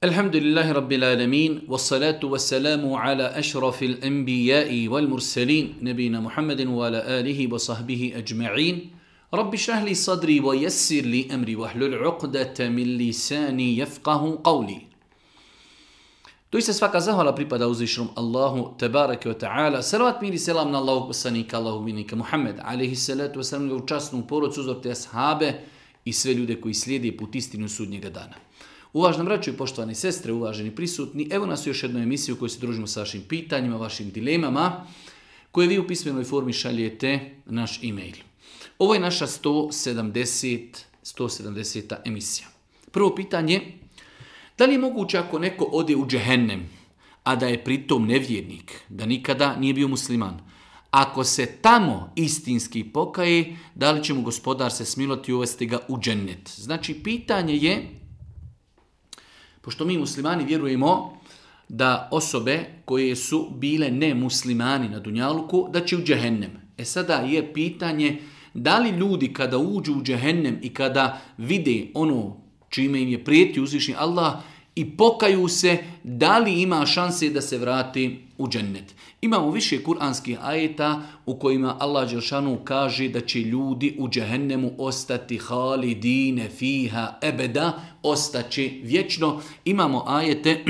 Alhamdulillahi Rabbil Alamin, wassalatu wassalamu ala ašrafil anbiya'i wal mursalin, nabina Muhammedin wa ala alihi wa sahbihi ajma'in. Rabbi šrah li sadri wa yassir li amri wa hlul uqdata min lisani yafqahu qawli. Doista svaka zahvala pripada uzvišenom Allahu tebareke wa ta'ala. Salavat mir i selam na Allahog poslanika, Allahog milnika Muhammed, alaihi salatu wa salam, u časnu porodcu, uzor te ashabe i sve ljude koji slijede put istinu sudnjega dana. Uvaženi braćo i poštovani sestre, uvaženi prisutni, evo nas u još jednoj emisiji u kojoj se družimo sa vašim pitanjima, vašim dilemama, koje vi u pismenoj formi šaljete naš e-mail. Ovo je naša 170. emisija. Prvo pitanje, da li je moguće ako neko ode u džehennem, a da je pritom nevjernik, da nikada nije bio musliman, ako se tamo istinski pokaje, da li će mu gospodar se smiloti i uvesti ga u džennet? Znači, pitanje je, pošto mi muslimani vjerujemo da osobe koje su bile nemuslimani na dunjaluku, da će u džehennem. Sada je pitanje da li ljudi kada uđu u džehennem i kada vide ono čime im je prijetio uzvišeni Allah i pokaju se, da li ima šanse da se vrati u džennet. Imamo više kuranskih ajeta u kojima Allah dželešanu kaže da će ljudi u džehennemu ostati halidine fiha ebeda, ostaće vječno. Imamo ajete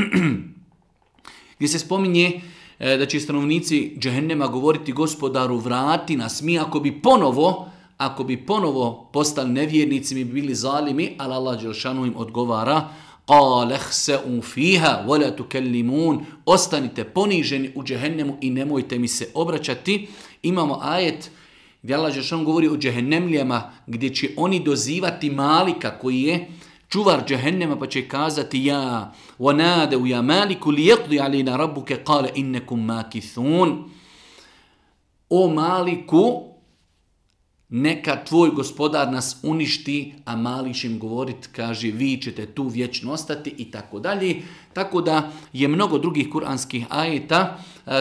gdje se spominje da će stanovnici džehennema govoriti gospodaru vrati nas, mi ako bi ponovo postali nevjernici, mi bi bili zalimi, ali Allah dželešanu im odgovara قَالَ اخْسَئُوا فِيهَا وَلَا تُكَلِّمُونَ Ostanite poniženi u džehennemu i nemojte mi se obraćati. Imamo ajet gdje Allah dželešanu govori o džehennemlijama, gdje će oni dozivati Malika koji je čuvar džehennema, pa će kazati ja وَنَادَوْ يَا مَالِكُ لِيَقْضِ عَلَيْنَا رَبُّكَ قَالَ إِنَّكُمْ مَاكِثُونَ O Maliku, neka tvoj gospodar nas uništi, a Malik će im govoriti, kaže, vi ćete tu vječno ostati i tako dalje. Tako da je mnogo drugih kuranskih ajeta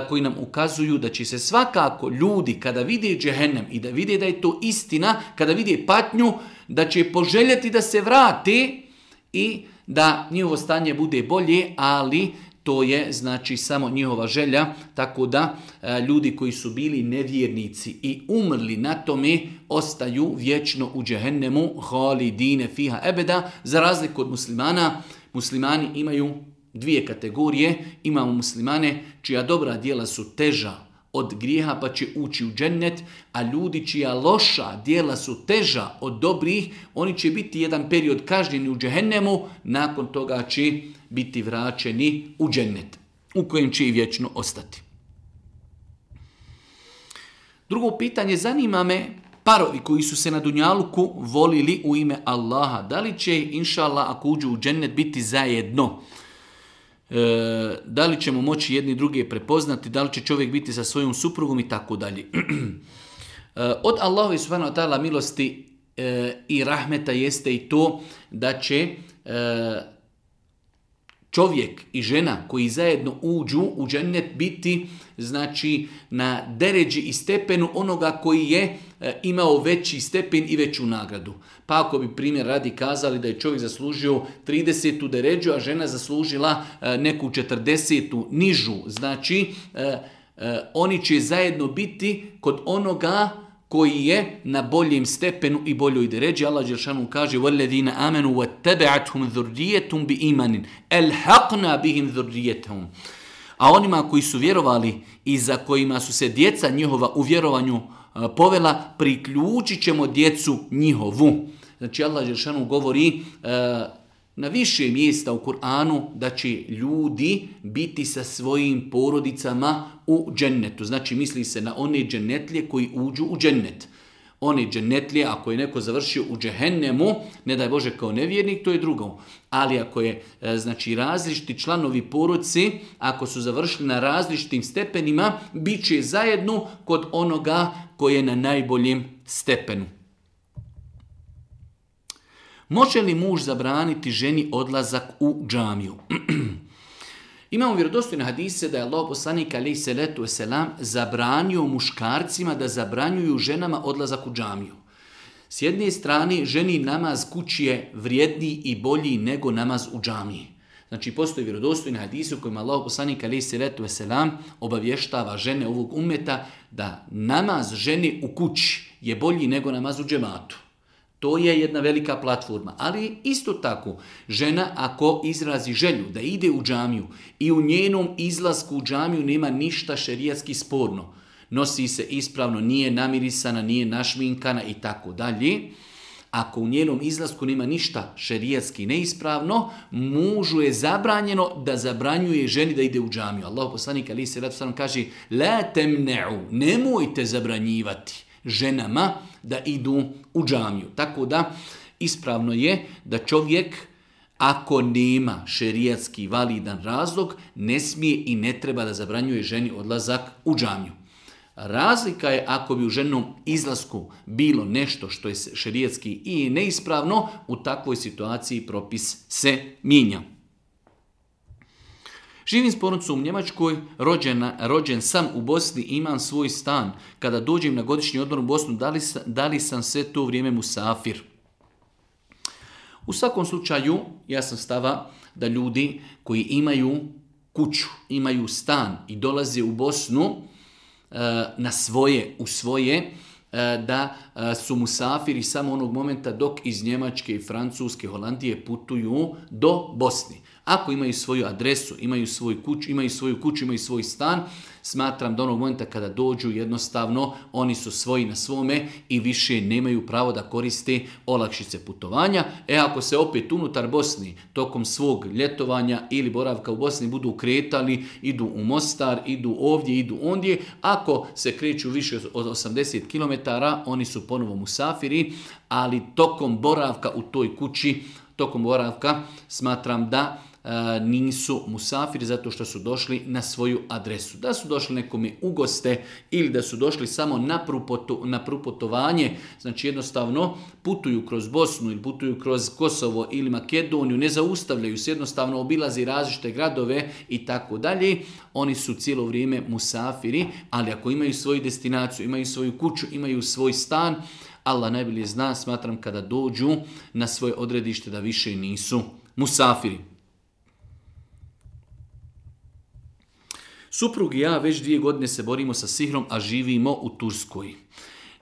koji nam ukazuju da će se svakako ljudi kada vide džehennem i da vide da je to istina, kada vide patnju, da će poželjeti da se vrate i da njihovo stanje bude bolje, ali to je znači samo njihova želja, tako da ljudi koji su bili nevjernici i umrli na tome ostaju vječno u džehennemu halidine fiha ebeda, za razliku od muslimana. Muslimani imaju dvije kategorije, imamo muslimane čija dobra djela su teža od grijeha pa će ući u džennet, a ljudi čija loša djela su teža od dobrih, oni će biti jedan period kažnjeni u džehennemu, nakon toga će biti vraćeni u džennet, u kojem će i vječno ostati. Drugo pitanje, zanima me parovi koji su se na dunjaluku volili u ime Allaha, da li će, inša Allah, ako uđu u džennet biti zajedno? Da li ćemo moći jedni druge prepoznati, da li će čovjek biti sa svojom suprugom i tako dalje. Od Allahove subhanahu wa ta'ala milosti i rahmeta jeste i to da će čovjek i žena koji zajedno uđu u džennet biti znači na deređi i stepenu onoga koji je imao veći stepen i veću nagradu. Pa ako bi primjer radi kazali da je čovjek zaslužio 30. deređu, a žena zaslužila neku 40. nižu, znači oni će zajedno biti kod onoga koji je na boljem stepenu i boljoj deređi. Allah dželešanu kaže وَالَّذِينَ آمَنُوا وَاتَّبَعَتْهُمْ ذُرِّيَّتُمْ بِإِيمَانٍ أَلْحَقْنَا بِهِمْ ذُرِّيَّتَهُمْ A onima koji su vjerovali i za kojima su se djeca njihova u vjerovanju povela, priključit ćemo djecu njihovu. Znači Allah dželešanu govori na više mjesta u Kur'anu da će ljudi biti sa svojim porodicama u džennetu. Znači misli se na one džennetlije koji uđu u džennet. One džennetlije, ako je neko završio u džehennemu, ne daj Bože kao nevjernik, to je drugo. Ali ako je znači različiti članovi porodice, ako su završili na različitim stepenima, bit će zajedno kod onoga koji je na najboljem stepenu. Može li muž zabraniti ženi odlazak u džamiju? Imamo vjerodostojne hadise da je Allah poslanik alejhi selatu vesselam zabranio muškarcima da zabranjuju ženama odlazak u džamiju. S jedne strane, ženi namaz kući je vrijedniji i bolji nego namaz u džamiji. Znači, postoji vjerodostojni hadisi u kojima Allah poslanik alejhi selatu vesselam obavještava žene ovog ummeta da namaz žene u kući je bolji nego namaz u džematu. To je jedna velika platforma. Ali isto tako, žena ako izrazi želju da ide u džamiju i u njenom izlasku u džamiju nema ništa šerijatski sporno, nosi se ispravno, nije namirisana, nije našminkana i tako dalje, ako u njenom izlasku nema ništa šerijatski neispravno, mužu je zabranjeno da zabranjuje ženi da ide u džamiju. Allah poslanik alejhi selatu vesselam kaže: "La temne'u", nemojte zabranjivati ženama da idu u džamiju. Tako da ispravno je da čovjek, ako nema šerijatski validan razlog, ne smije i ne treba da zabranjuje ženi odlazak u džamiju. Razlika je ako bi u ženom izlasku bilo nešto što je šerijatski i neispravno, u takvoj situaciji propis se mijenja. Živim s porodicom u Njemačkoj, rođen sam u Bosni, imam svoj stan. Kada dođem na godišnji odmor u Bosnu, da li sam sve to vrijeme musafir? U svakom slučaju, ja sam stava da ljudi koji imaju kuću, imaju stan i dolaze u Bosnu u svoje, da su musafiri samo onog momenta dok iz Njemačke, Francuske, Holandije putuju do Bosni. Ako imaju svoju adresu, imaju svoju kuću, imaju svoj stan, smatram da onog momenta kada dođu jednostavno oni su svoji na svome i više nemaju pravo da koriste olakšice putovanja. Ako se opet unutar Bosni tokom svog ljetovanja ili boravka u Bosni budu kretali, idu u Mostar, idu ovdje, idu ondje, ako se kreću više od 80 km, oni su ponovo musafiri, ali tokom boravka u toj kući, smatram da nisu musafiri zato što su došli na svoju adresu. Da su došli nekome u goste ili da su došli samo na pruputovanje, znači jednostavno putuju kroz Bosnu ili putuju kroz Kosovo ili Makedoniju, ne zaustavljaju se, jednostavno obilazi različite gradove i tako dalje. Oni su cijelo vrijeme musafiri, ali ako imaju svoju destinaciju, imaju svoju kuću, imaju svoj stan, Allah najbolje zna, smatram kada dođu na svoje odredište da više nisu musafiri. Suprug i ja već 2 godine se borimo sa sihrom, a živimo u Turskoj.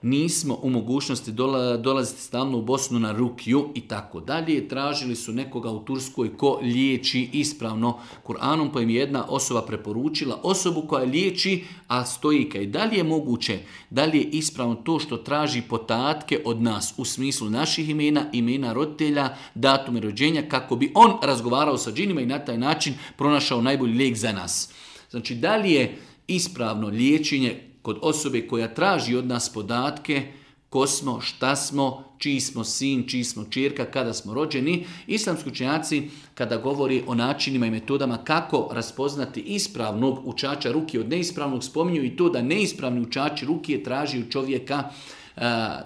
Nismo u mogućnosti dolaziti stalno u Bosnu na rukiju i tako dalje. Tražili su nekoga u Turskoj ko liječi ispravno Kur'anom, pa im je jedna osoba preporučila osobu koja liječi, a stojika. I da li je moguće, da li je ispravno to što traži podatke od nas u smislu naših imena roditelja, datume rođenja, kako bi on razgovarao sa džinima i na taj način pronašao najbolji lijek za nas. Znači, da li je ispravno liječenje kod osobe koja traži od nas podatke, ko smo, šta smo, čiji smo sin, čiji smo ćerka, kada smo rođeni. Islamski učenjaci kada govori o načinima i metodama kako raspoznati ispravnog učača ruke od neispravnog, spominju i to da neispravni učači ruke traži u čovjeka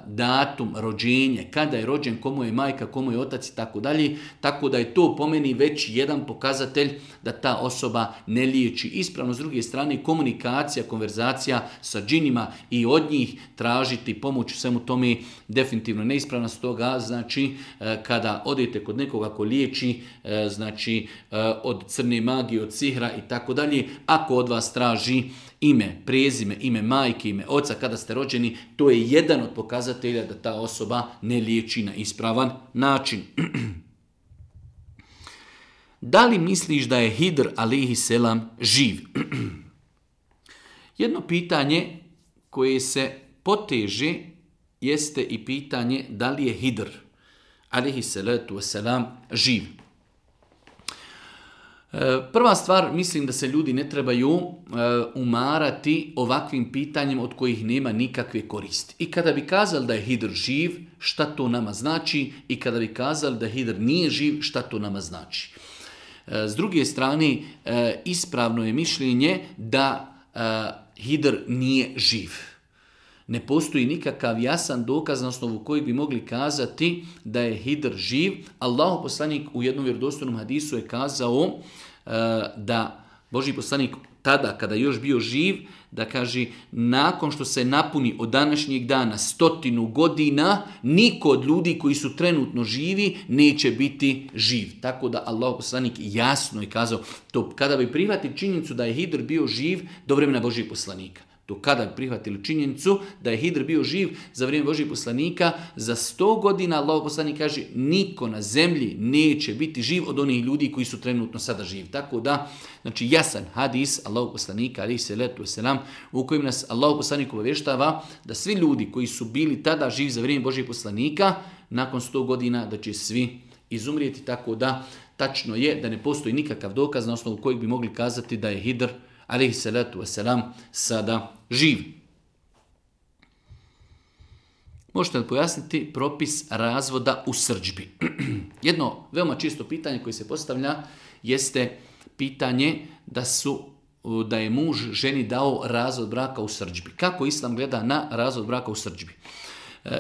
datum rođenja, kada je rođen, komu je majka, komu je otac i tako dalje, tako da je to po meni već jedan pokazatelj da ta osoba ne liječi ispravno. S druge strane, komunikacija, konverzacija sa džinima i od njih tražiti pomoć u svemu tome definitivno neispravna. Stoga, znači, kada odete kod nekoga ko liječi, znači, od crne magije, od sihra i tako dalje, ako od vas traži ime, prezime, ime majke, ime oca, kada ste rođeni, to je jedan od pokazatelja da ta osoba ne liječi na ispravan način. Da li misliš da je Hidr alejhi selam živ? Jedno pitanje koje se poteže jeste i pitanje da li je Hidr alejhi salatu wasalam živ. Prva stvar, mislim da se ljudi ne trebaju umarati ovakvim pitanjem od kojih nema nikakve koristi. I kada bi kazali da je Hidr živ, šta to nama znači? I kada bi kazali da Hidr nije živ, šta to nama znači? S druge strane, ispravno je mišljenje da Hidr nije živ. Ne postoji nikakav jasan dokaz na osnovu kojeg bi mogli kazati da je Hidr živ. Allahov poslanik u jednom vjerodostojnom hadisu je kazao da Božji poslanik tada, kada je još bio živ, da kaže, nakon što se napuni od današnjeg dana 100 godina, niko od ljudi koji su trenutno živi neće biti živ. Tako da Allah poslanik jasno je kazao, to kada bi prihvatili činjenicu da je Hidr bio živ do vremena Božjeg poslanika. To kada bi prihvatili činjenicu da je Hidr bio živ za vrijeme Božjeg poslanika, za 100 godina Allah poslanik kaže, niko na zemlji neće biti živ od onih ljudi koji su trenutno sada živi. Tako da, znači jasan hadis Allah poslanika, alejhi selatu vesselam, u kojem nas Allah poslanik obavještava da svi ljudi koji su bili tada živi za vrijeme Božjeg poslanika, nakon 100 godina da će svi izumrijeti. Tako da, tačno je da ne postoji nikakav dokaz na osnovu kojeg bi mogli kazati da je Hidr alejhi salatu wasalam sada živ. Možete li pojasniti propis razvoda u srdžbi? Jedno veoma čisto pitanje koje se postavlja jeste pitanje da je muž ženi dao razvod braka u srdžbi. Kako Islam gleda na razvod braka u srdžbi?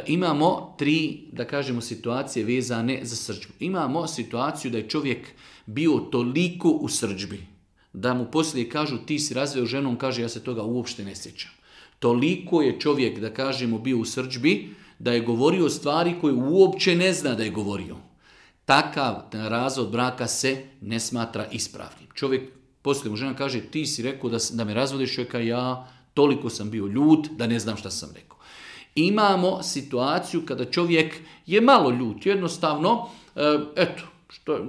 Imamo 3, da kažemo, situacije vezane za srdžbu. Imamo situaciju da je čovjek bio toliko u srdžbi da mu poslije kažu ti si razveo ženu, on kaže ja se toga uopšte ne sjećam. Toliko je čovjek, da kažemo, bio u srdžbi da je govorio stvari koje uopće ne zna da je govorio. Takav razvod braka se ne smatra ispravnim. Čovjek, poslije mu žena kaže ti si rekao da me razvodiš, čovjeka, ja toliko sam bio ljut da ne znam šta sam rekao. Imamo situaciju kada čovjek je malo ljut, jednostavno,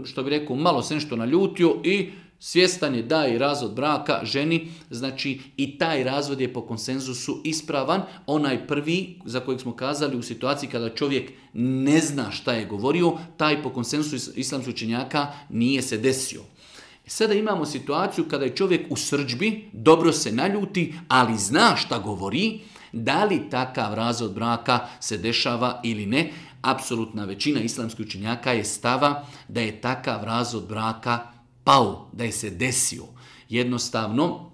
što bi rekao, malo se nešto naljutio i svjestan je da je razvod braka ženi, znači i taj razvod je po konsenzusu ispravan. Onaj prvi za kojeg smo kazali u situaciji kada čovjek ne zna šta je govorio, taj po konsenzusu islamskih učenjaka nije se desio. Sada imamo situaciju kada je čovjek u srdžbi, dobro se naljuti, ali zna šta govori. Da li takav razvod braka se dešava ili ne? Apsolutna većina islamskih učenjaka je stava da je takav razvod braka pao, da je se desio. Jednostavno,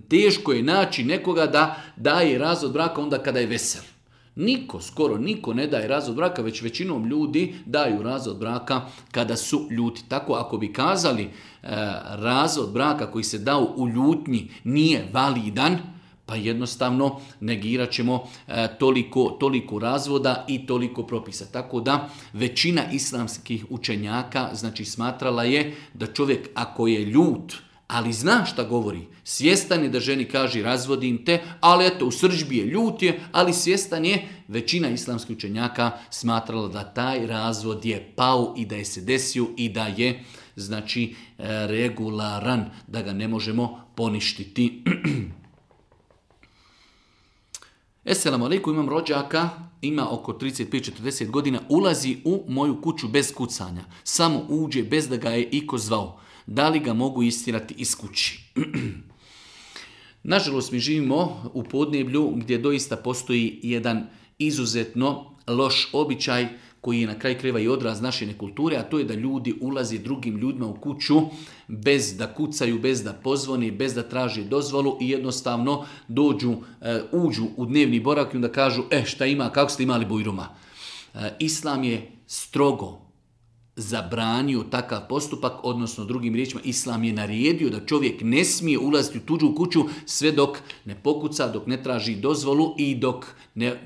teško je naći nekoga da daje razvod braka onda kada je vesel. Skoro niko ne daje razvod braka, već većinom ljudi daju razvod braka kada su ljuti. Tako ako bi kazali razvod braka koji se dao u ljutnji nije validan, pa jednostavno negirat ćemo toliko razvoda i toliko propisa. Tako da većina islamskih učenjaka znači smatrala je da čovjek ako je ljut, ali zna šta govori, svjestan je da ženi kaže razvodim te, ali eto u srdžbi je ljut je, ali svjestan je, većina islamskih učenjaka smatrala da taj razvod je pao i da je se desio i da je znači regularan, da ga ne možemo poništiti. Esselamu alaikum, imam rođaka, ima oko 35-40 godina, ulazi u moju kuću bez kucanja. Samo uđe bez da ga je iko zvao. Da li ga mogu istirati iz kući? Nažalost, mi živimo u podneblju gdje doista postoji jedan izuzetno loš običaj koji je na kraju krajeva i odraz naše nekulture, a to je da ljudi ulaze drugim ljudima u kuću bez da kucaju, bez da pozvoni, bez da traže dozvolu i jednostavno uđu u dnevni boravak i onda kažu šta ima, kako ste imali bujruma. Islam je strogo zabranio takav postupak, odnosno drugim riječima Islam je naredio da čovjek ne smije ulaziti u tuđu kuću sve dok ne pokuca, dok ne traži dozvolu i dok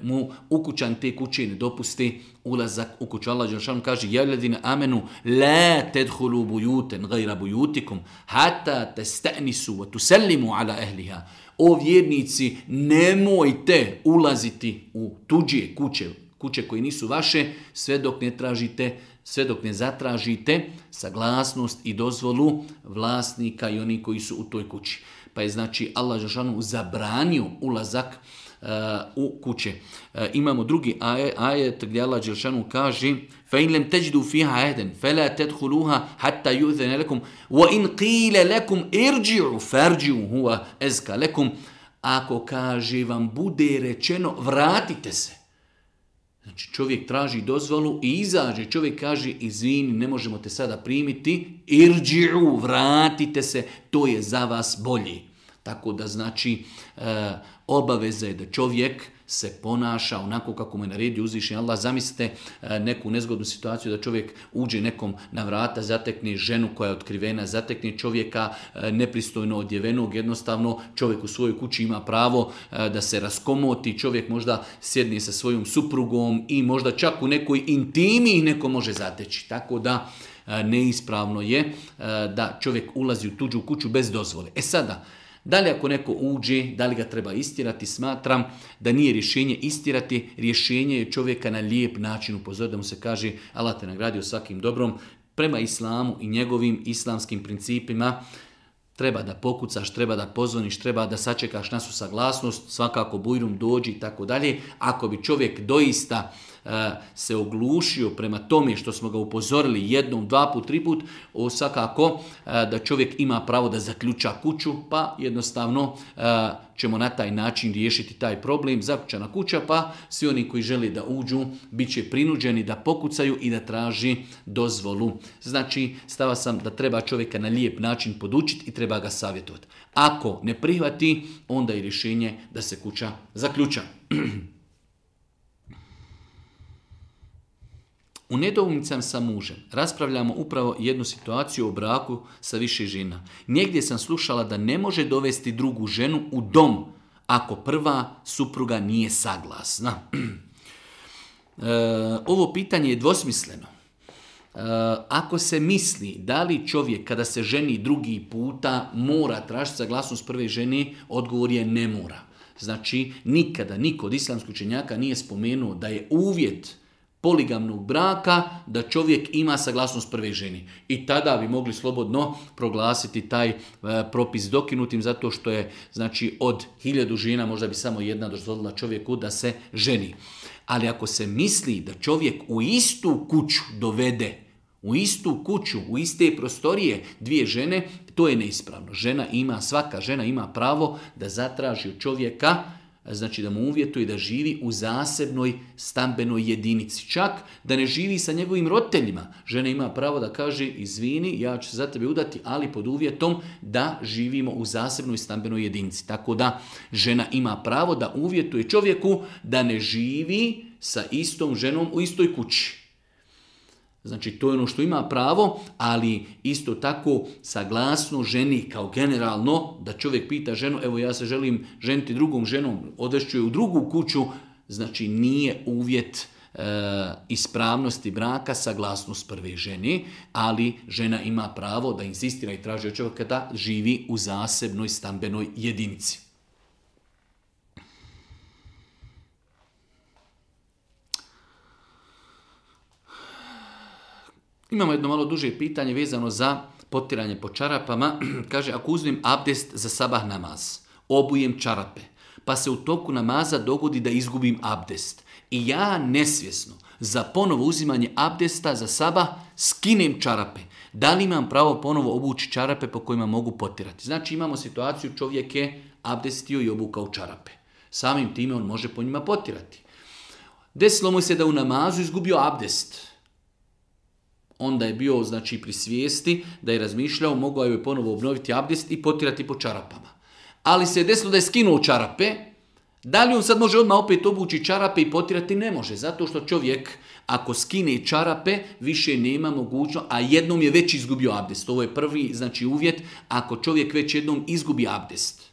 mu ukućan te kuće ne dopusti ulazak u kuću. Allah dželešanu kaže: "Ja ladina amenu la tadkhulu buyutan ghayra buyutikum hatta tastanisu wa tusallimu ala ahliha." O vjernici, nemojte ulaziti u tuđe kuće koje nisu vaše sve dok ne zatražite saglasnost i dozvolu vlasnika i oni koji su u toj kući. Pa je znači Allah dželešanu zabranio ulazak u kuće. Imamo drugi ajet gdje Allah dželešanu kaže: فَإِنْ لَمْ تَجِدُوا فِيهَا عَهْدًا فَلَا تَدْخُلُوهَا حَتَّى يُؤْذَنَ لَكُمْ وَإِنْ قِيلَ لَكُمْ ارْجِعُوا فَارْجِعُوا هُوَ أَزْكَى لَكُمْ. Ako kaže vam bude rečeno vratite se. Znači čovjek traži dozvolu i izađe, čovjek kaže izvini, ne možemo te sada primiti, irđi'u, vratite se, to je za vas bolje. Tako da znači obaveza je da čovjek se ponaša onako kako mu je naredio uzvišeni Allah. Zamislite neku nezgodnu situaciju da čovjek uđe nekom na vrata, zatekne ženu koja je otkrivena, zatekne čovjeka nepristojno odjevenog, jednostavno čovjek u svojoj kući ima pravo da se raskomoti, čovjek možda sjedne sa svojom suprugom i možda čak u nekoj intimi ih neko može zateći. Tako da neispravno je da čovjek ulazi u tuđu kuću bez dozvole. Sada, da li ako neko uđe, da li ga treba istirati, smatram da nije rješenje istirati, rješenje je čovjeka na lijep način upozoriti, da mu se kaže Allah te nagradio svakim dobrom, prema islamu i njegovim islamskim principima. Treba da pokucaš, treba da pozvoniš, treba da sačekaš našu saglasnost, svakako bujrum dođi i tako dalje. Ako bi čovjek doista se oglušio prema tome što smo ga upozorili jednom, dva put, tri put, svakako da čovjek ima pravo da zaključa kuću, pa jednostavno ćemo na taj način riješiti taj problem. Zaključana kuća, pa svi oni koji žele da uđu bit će prinuđeni da pokucaju i da traži dozvolu. Znači, stava sam da treba čovjeka na lijep način podučiti i treba ga savjetovati. Ako ne prihvati, onda je rješenje da se kuća zaključa. U nedoumicama sa mužem raspravljamo upravo jednu situaciju o braku sa više žena. Negdje sam slušala da ne može dovesti drugu ženu u dom ako prva supruga nije saglasna. Ovo pitanje je dvosmisleno. Ako se misli da li čovjek kada se ženi drugi puta mora tražiti saglasnost prve žene, odgovor je ne mora. Znači, nikada niko od islamskih učenjaka nije spomenuo da je uvjet poligamnog braka da čovjek ima saglasnost prve ženi. I tada bi mogli slobodno proglasiti taj propis dokinutim, zato što je, znači, od 1000 žena možda bi samo jedna dozvolila čovjeku da se ženi. Ali ako se misli da čovjek u istu kuću dovede, u istu kuću, u iste prostorije dvije žene, to je neispravno. Svaka žena ima pravo da zatraži od čovjeka, znači da mu uvjetuje da živi u zasebnoj stambenoj jedinici. Čak da ne živi sa njegovim roditeljima. Žena ima pravo da kaže izvini, ja ću se za tebe udati, ali pod uvjetom da živimo u zasebnoj stambenoj jedinici. Tako da žena ima pravo da uvjetuje čovjeku da ne živi sa istom ženom u istoj kući. Znači, to je ono što ima pravo, ali isto tako saglasno ženi kao generalno, da čovjek pita ženu, evo ja se želim ženiti drugom ženom, odvešću je u drugu kuću, znači nije uvjet ispravnosti braka saglasnost prve žene, ali žena ima pravo da insistira i traži od čovjeka da živi u zasebnoj stambenoj jedinici. Imamo jedno malo duže pitanje vezano za potiranje po čarapama. Kaže, ako uzmem abdest za sabah namaz, obujem čarape, pa se u toku namaza dogodi da izgubim abdest i ja nesvjesno za ponovo uzimanje abdesta za sabah skinem čarape, da li imam pravo ponovo obući čarape po kojima mogu potirati? Znači, imamo situaciju, čovjek je abdestio i obukao čarape. Samim time on može po njima potirati. Desilo mu se da u namazu izgubio abdest. Onda je bio, znači, pri svijesti da je razmišljao, mogao je ponovo obnoviti abdest i potirati po čarapama. Ali se je desilo da je skinuo čarape. Da li on sad može odmah opet obući čarape i potirati? Ne može, zato što čovjek ako skine čarape više nema mogućnost, a jednom je već izgubio abdest. Ovo je prvi, znači, uvjet ako čovjek već jednom izgubi abdest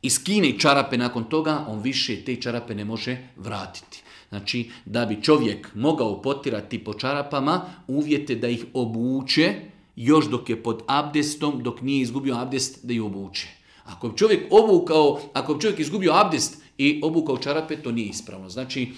i skine čarape nakon toga, on više te čarape ne može vratiti. Znači, da bi čovjek mogao potirati po čarapama, uvjete da ih obuče, još dok je pod abdestom, dok nije izgubio abdest, da ih obuče. Ako bi čovjek izgubio abdest i obukao čarape, to nije ispravno. Znači,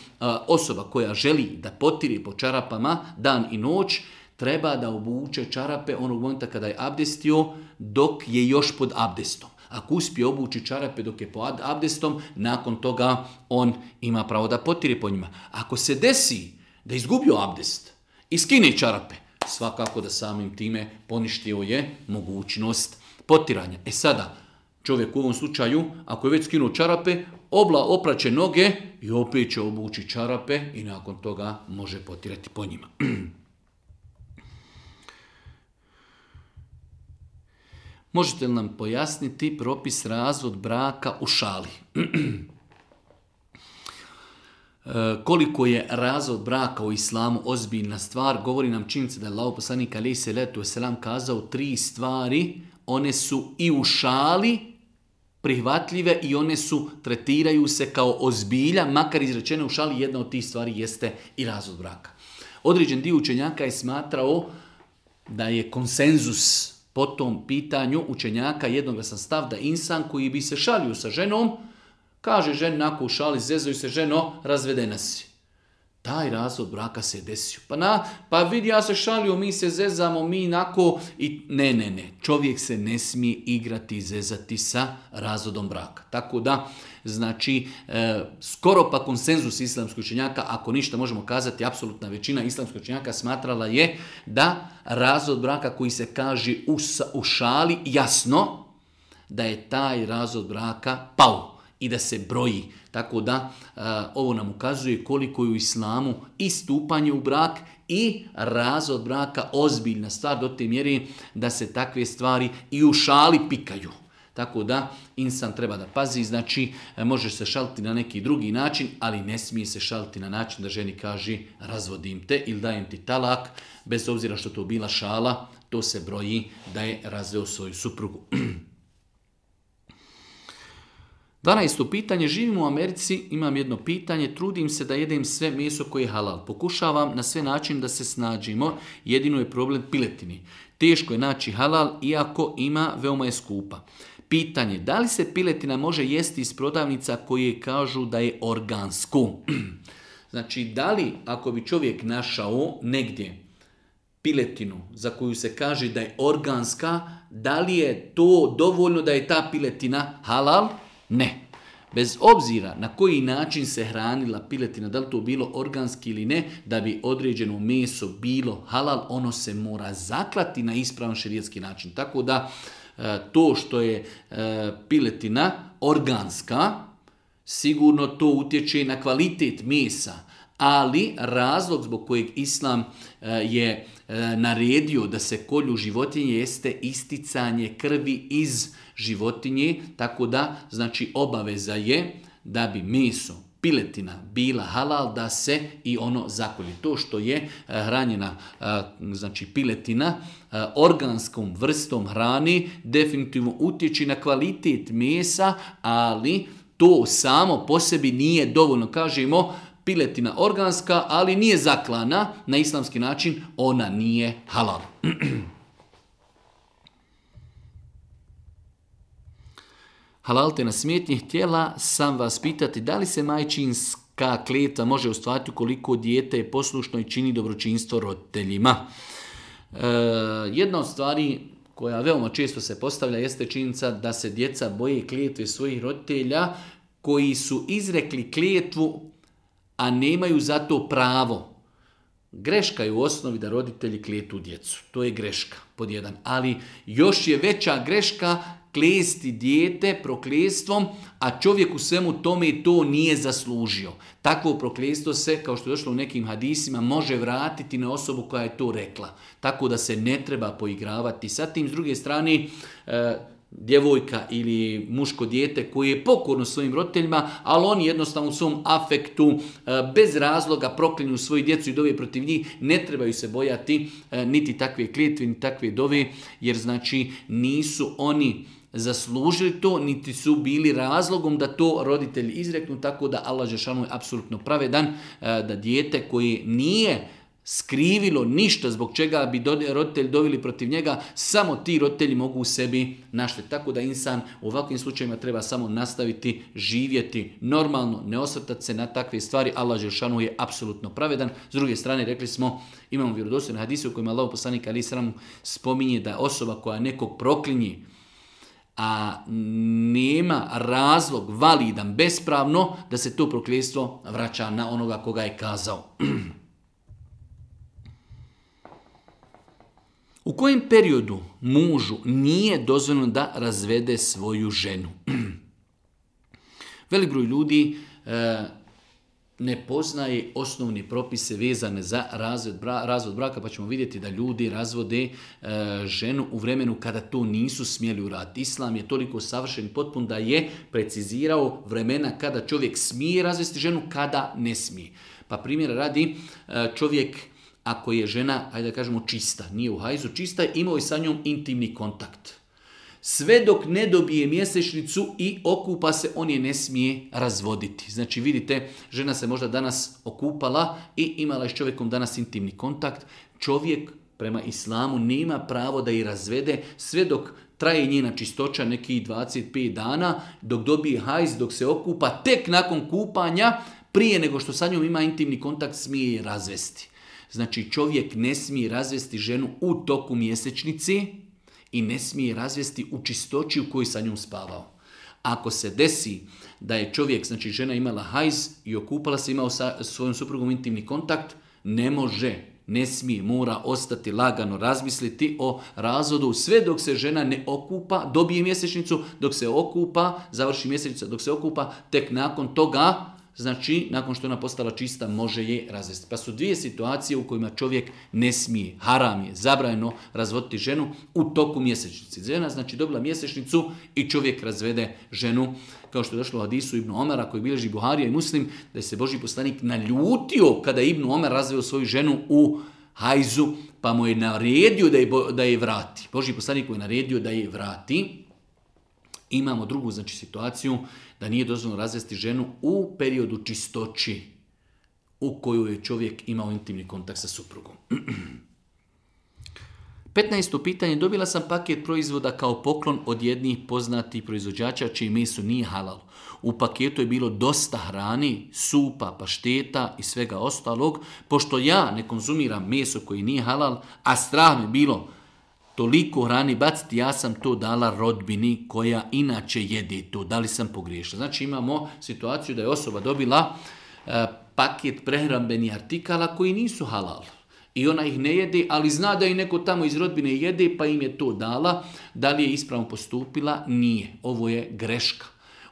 osoba koja želi da potiri po čarapama dan i noć, treba da obuče čarape onog momenta kada je abdestio, dok je još pod abdestom. Ako uspije obući čarape dok je pod abdestom, nakon toga on ima pravo da potiri po njima. Ako se desi da izgubio abdest i skine čarape, svakako da samim time poništio je mogućnost potiranja. Sada, čovjek u ovom slučaju, ako je već skinuo čarape, opraće noge i opet će obući čarape i nakon toga može potirati po njima. Možete li nam pojasniti propis razvod braka u šali? koliko je razvod braka u islamu ozbiljna stvar, govori nam činjenica da je Allahov poslanik alejhi selatu vesselam kazao 3 stvari, one su i u šali prihvatljive i one su, tretiraju se kao ozbilja, makar izrečene u šali, jedna od tih stvari jeste i razvod braka. Određen dio učenjaka je smatrao da je konsenzus po tom pitanju učenjaka jednoglasan stav da insan koji bi se šalio sa ženom, kaže ženi nakon u šali, zezaju se ženo, razvedena si. Taj razvod braka se desio. Pa vidi, ja se šalio, mi se zezamo, mi nako i ne. Čovjek se ne smije igrati i zezati sa razvodom braka. Tako da, znači, skoro pa konsenzus islamskih učenjaka, ako ništa možemo kazati, apsolutna većina islamskih učenjaka smatrala je da razvod braka koji se kaže u šali, jasno da je taj razvod braka pao i da se broji. Tako da ovo nam ukazuje koliko je u islamu i stupanje u brak i razvod braka ozbiljna stvar do te mjere da se takve stvari i u šali pikaju. Tako da insan treba da pazi, znači može se šaliti na neki drugi način, ali ne smije se šaliti na način da ženi kaže razvodim te ili dajem ti talak, bez obzira što to bila šala, to se broji da je razveo svoju suprugu. 12. pitanje, živim u Americi, imam jedno pitanje, trudim se da jedem sve meso koje je halal. Pokušavam na sve način da se snađimo, jedino je problem piletini. Teško je naći halal, iako veoma je skupa. Pitanje, da li se piletina može jesti iz prodavnica koje kažu da je organsko? Znači, da li ako bi čovjek našao negdje piletinu za koju se kaže da je organska, da li je to dovoljno da je ta piletina halal? Ne. Bez obzira na koji način se hranila piletina, da li to bilo organski ili ne, da bi određeno meso bilo halal, ono se mora zaklati na ispravan šerijatski način. Tako da to što je piletina organska, sigurno to utječe na kvalitet mesa, ali razlog zbog kojeg Islam je naredio da se kolju životinje jeste isticanje krvi iz životinje, tako da znači obaveza je da bi meso, piletina bila halal, da se i ono zakolje. To što je hranjena znači piletina organskom vrstom hrane definitivno utječe na kvalitet mesa, ali to samo po sebi nije dovoljno. Kažemo piletina organska, ali nije zaklana na islamski način, ona nije halal. Halalte na smetnji, htjela sam vas pitati da li se majčinska kletva može ostvariti ukoliko dijete je poslušno i čini dobročinstvo roditeljima. Jedna od stvari koja veoma često se postavlja jeste činjenica da se djeca boje kletve svojih roditelja koji su izrekli kletvu, a nemaju za to pravo. Greška je u osnovi da roditelji kletu djecu. To je greška, pod jedan. Ali još je veća greška klesti dijete proklestvom, a čovjek u svemu tome to nije zaslužio. Takvo prokletstvo se, kao što je došlo u nekim hadisima, može vratiti na osobu koja je to rekla. Tako da se ne treba poigravati sa tim. S druge strane, djevojka ili muško dijete koji je pokorno svojim roditeljima, ali oni jednostavno u svom afektu bez razloga proklinju svoju djecu i dove protiv njih, ne trebaju se bojati niti takve kletve, ni takve dove, jer znači nisu oni zaslužili to, niti su bili razlogom da to roditelji izreknu, tako da Allah dželešanu je apsolutno pravedan, da dijete koje nije skrivilo ništa zbog čega bi roditelji doveli protiv njega, samo ti roditelji mogu u sebi naštetiti. Tako da insan u ovakvim slučajevima treba samo nastaviti živjeti normalno, ne osvrtati se na takve stvari. Allah dželešanu je apsolutno pravedan. S druge strane, rekli smo, imamo vjerodostojne hadise u kojima Allahov poslanik alejhi selam spominje da osoba koja nekog proklinje, a nema razlog validan, bespravno, da se to prokletstvo vraća na onoga koga je kazao. U kojem periodu mužu nije dozvoljeno da razvede svoju ženu? Velik broj ljudi ne poznaje osnovne propise vezane za razvod braka, pa ćemo vidjeti da ljudi razvode ženu u vremenu kada to nisu smjeli uraditi. Islam je toliko savršen i potpun da je precizirao vremena kada čovjek smije razvesti ženu, kada ne smije. Pa primjera radi, čovjek ako je žena, hajde da kažemo čista, nije u hajzu, čista, imao je sa njom intimni kontakt. Sve dok ne dobije mjesečnicu i okupa se, on je ne smije razvoditi. Znači vidite, žena se možda danas okupala i imala je s čovjekom danas intimni kontakt. Čovjek prema islamu nema pravo da je razvede sve dok traje njena čistoća nekih 25 dana, dok dobije hajz, dok se okupa, tek nakon kupanja, prije nego što sa njom ima intimni kontakt, smije je razvesti. Znači čovjek ne smije razvesti ženu u toku mjesečnice i ne smije razvesti u čistoći u kojoj sa njom spavao. Ako se desi da je čovjek, znači žena imala hajz i okupala se, imao sa svojom suprugom intimni kontakt, ne može, ne smije, mora ostati lagano, razmisliti o razvodu sve dok se žena ne okupa, dobije mjesečnicu, dok se okupa, završi mjesečnica, dok se okupa, tek nakon toga, znači nakon što ona postala čista, može je razvesti. Pa su dvije situacije u kojima čovjek ne smije, haram je, zabranjeno razvoditi ženu u toku mjesečnice. Žena znači dobila mjesečnicu i čovjek razvede ženu, kao što je došlo u hadisu Ibn Omara koji bilježi Buharija i Muslim, da je se Božji poslanik naljutio kada je Ibn Omar razveo svoju ženu u hajzu, pa mu je naredio da je vrati. Božji poslanik mu je naredio da je vrati. Imamo drugu znači situaciju da nije dozvoljeno razvesti ženu u periodu čistoći u kojoj je čovjek imao intimni kontakt sa suprugom. 15. pitanje. Dobila sam paket proizvoda kao poklon od jednih poznatih proizvođača čiji meso nije halal. U paketu je bilo dosta hrani, supa, pašteta i svega ostalog. Pošto ja ne konzumiram meso koji nije halal, a strah mi bilo toliko hrani baciti, ja sam to dala rodbini koja inače jede to. Da li sam pogriješila? Znači imamo situaciju da je osoba dobila paket prehrambenih artikala koji nisu halal. I ona ih ne jede, ali zna da i neko tamo iz rodbine jede, pa im je to dala. Da li je ispravno postupila? Nije. Ovo je greška.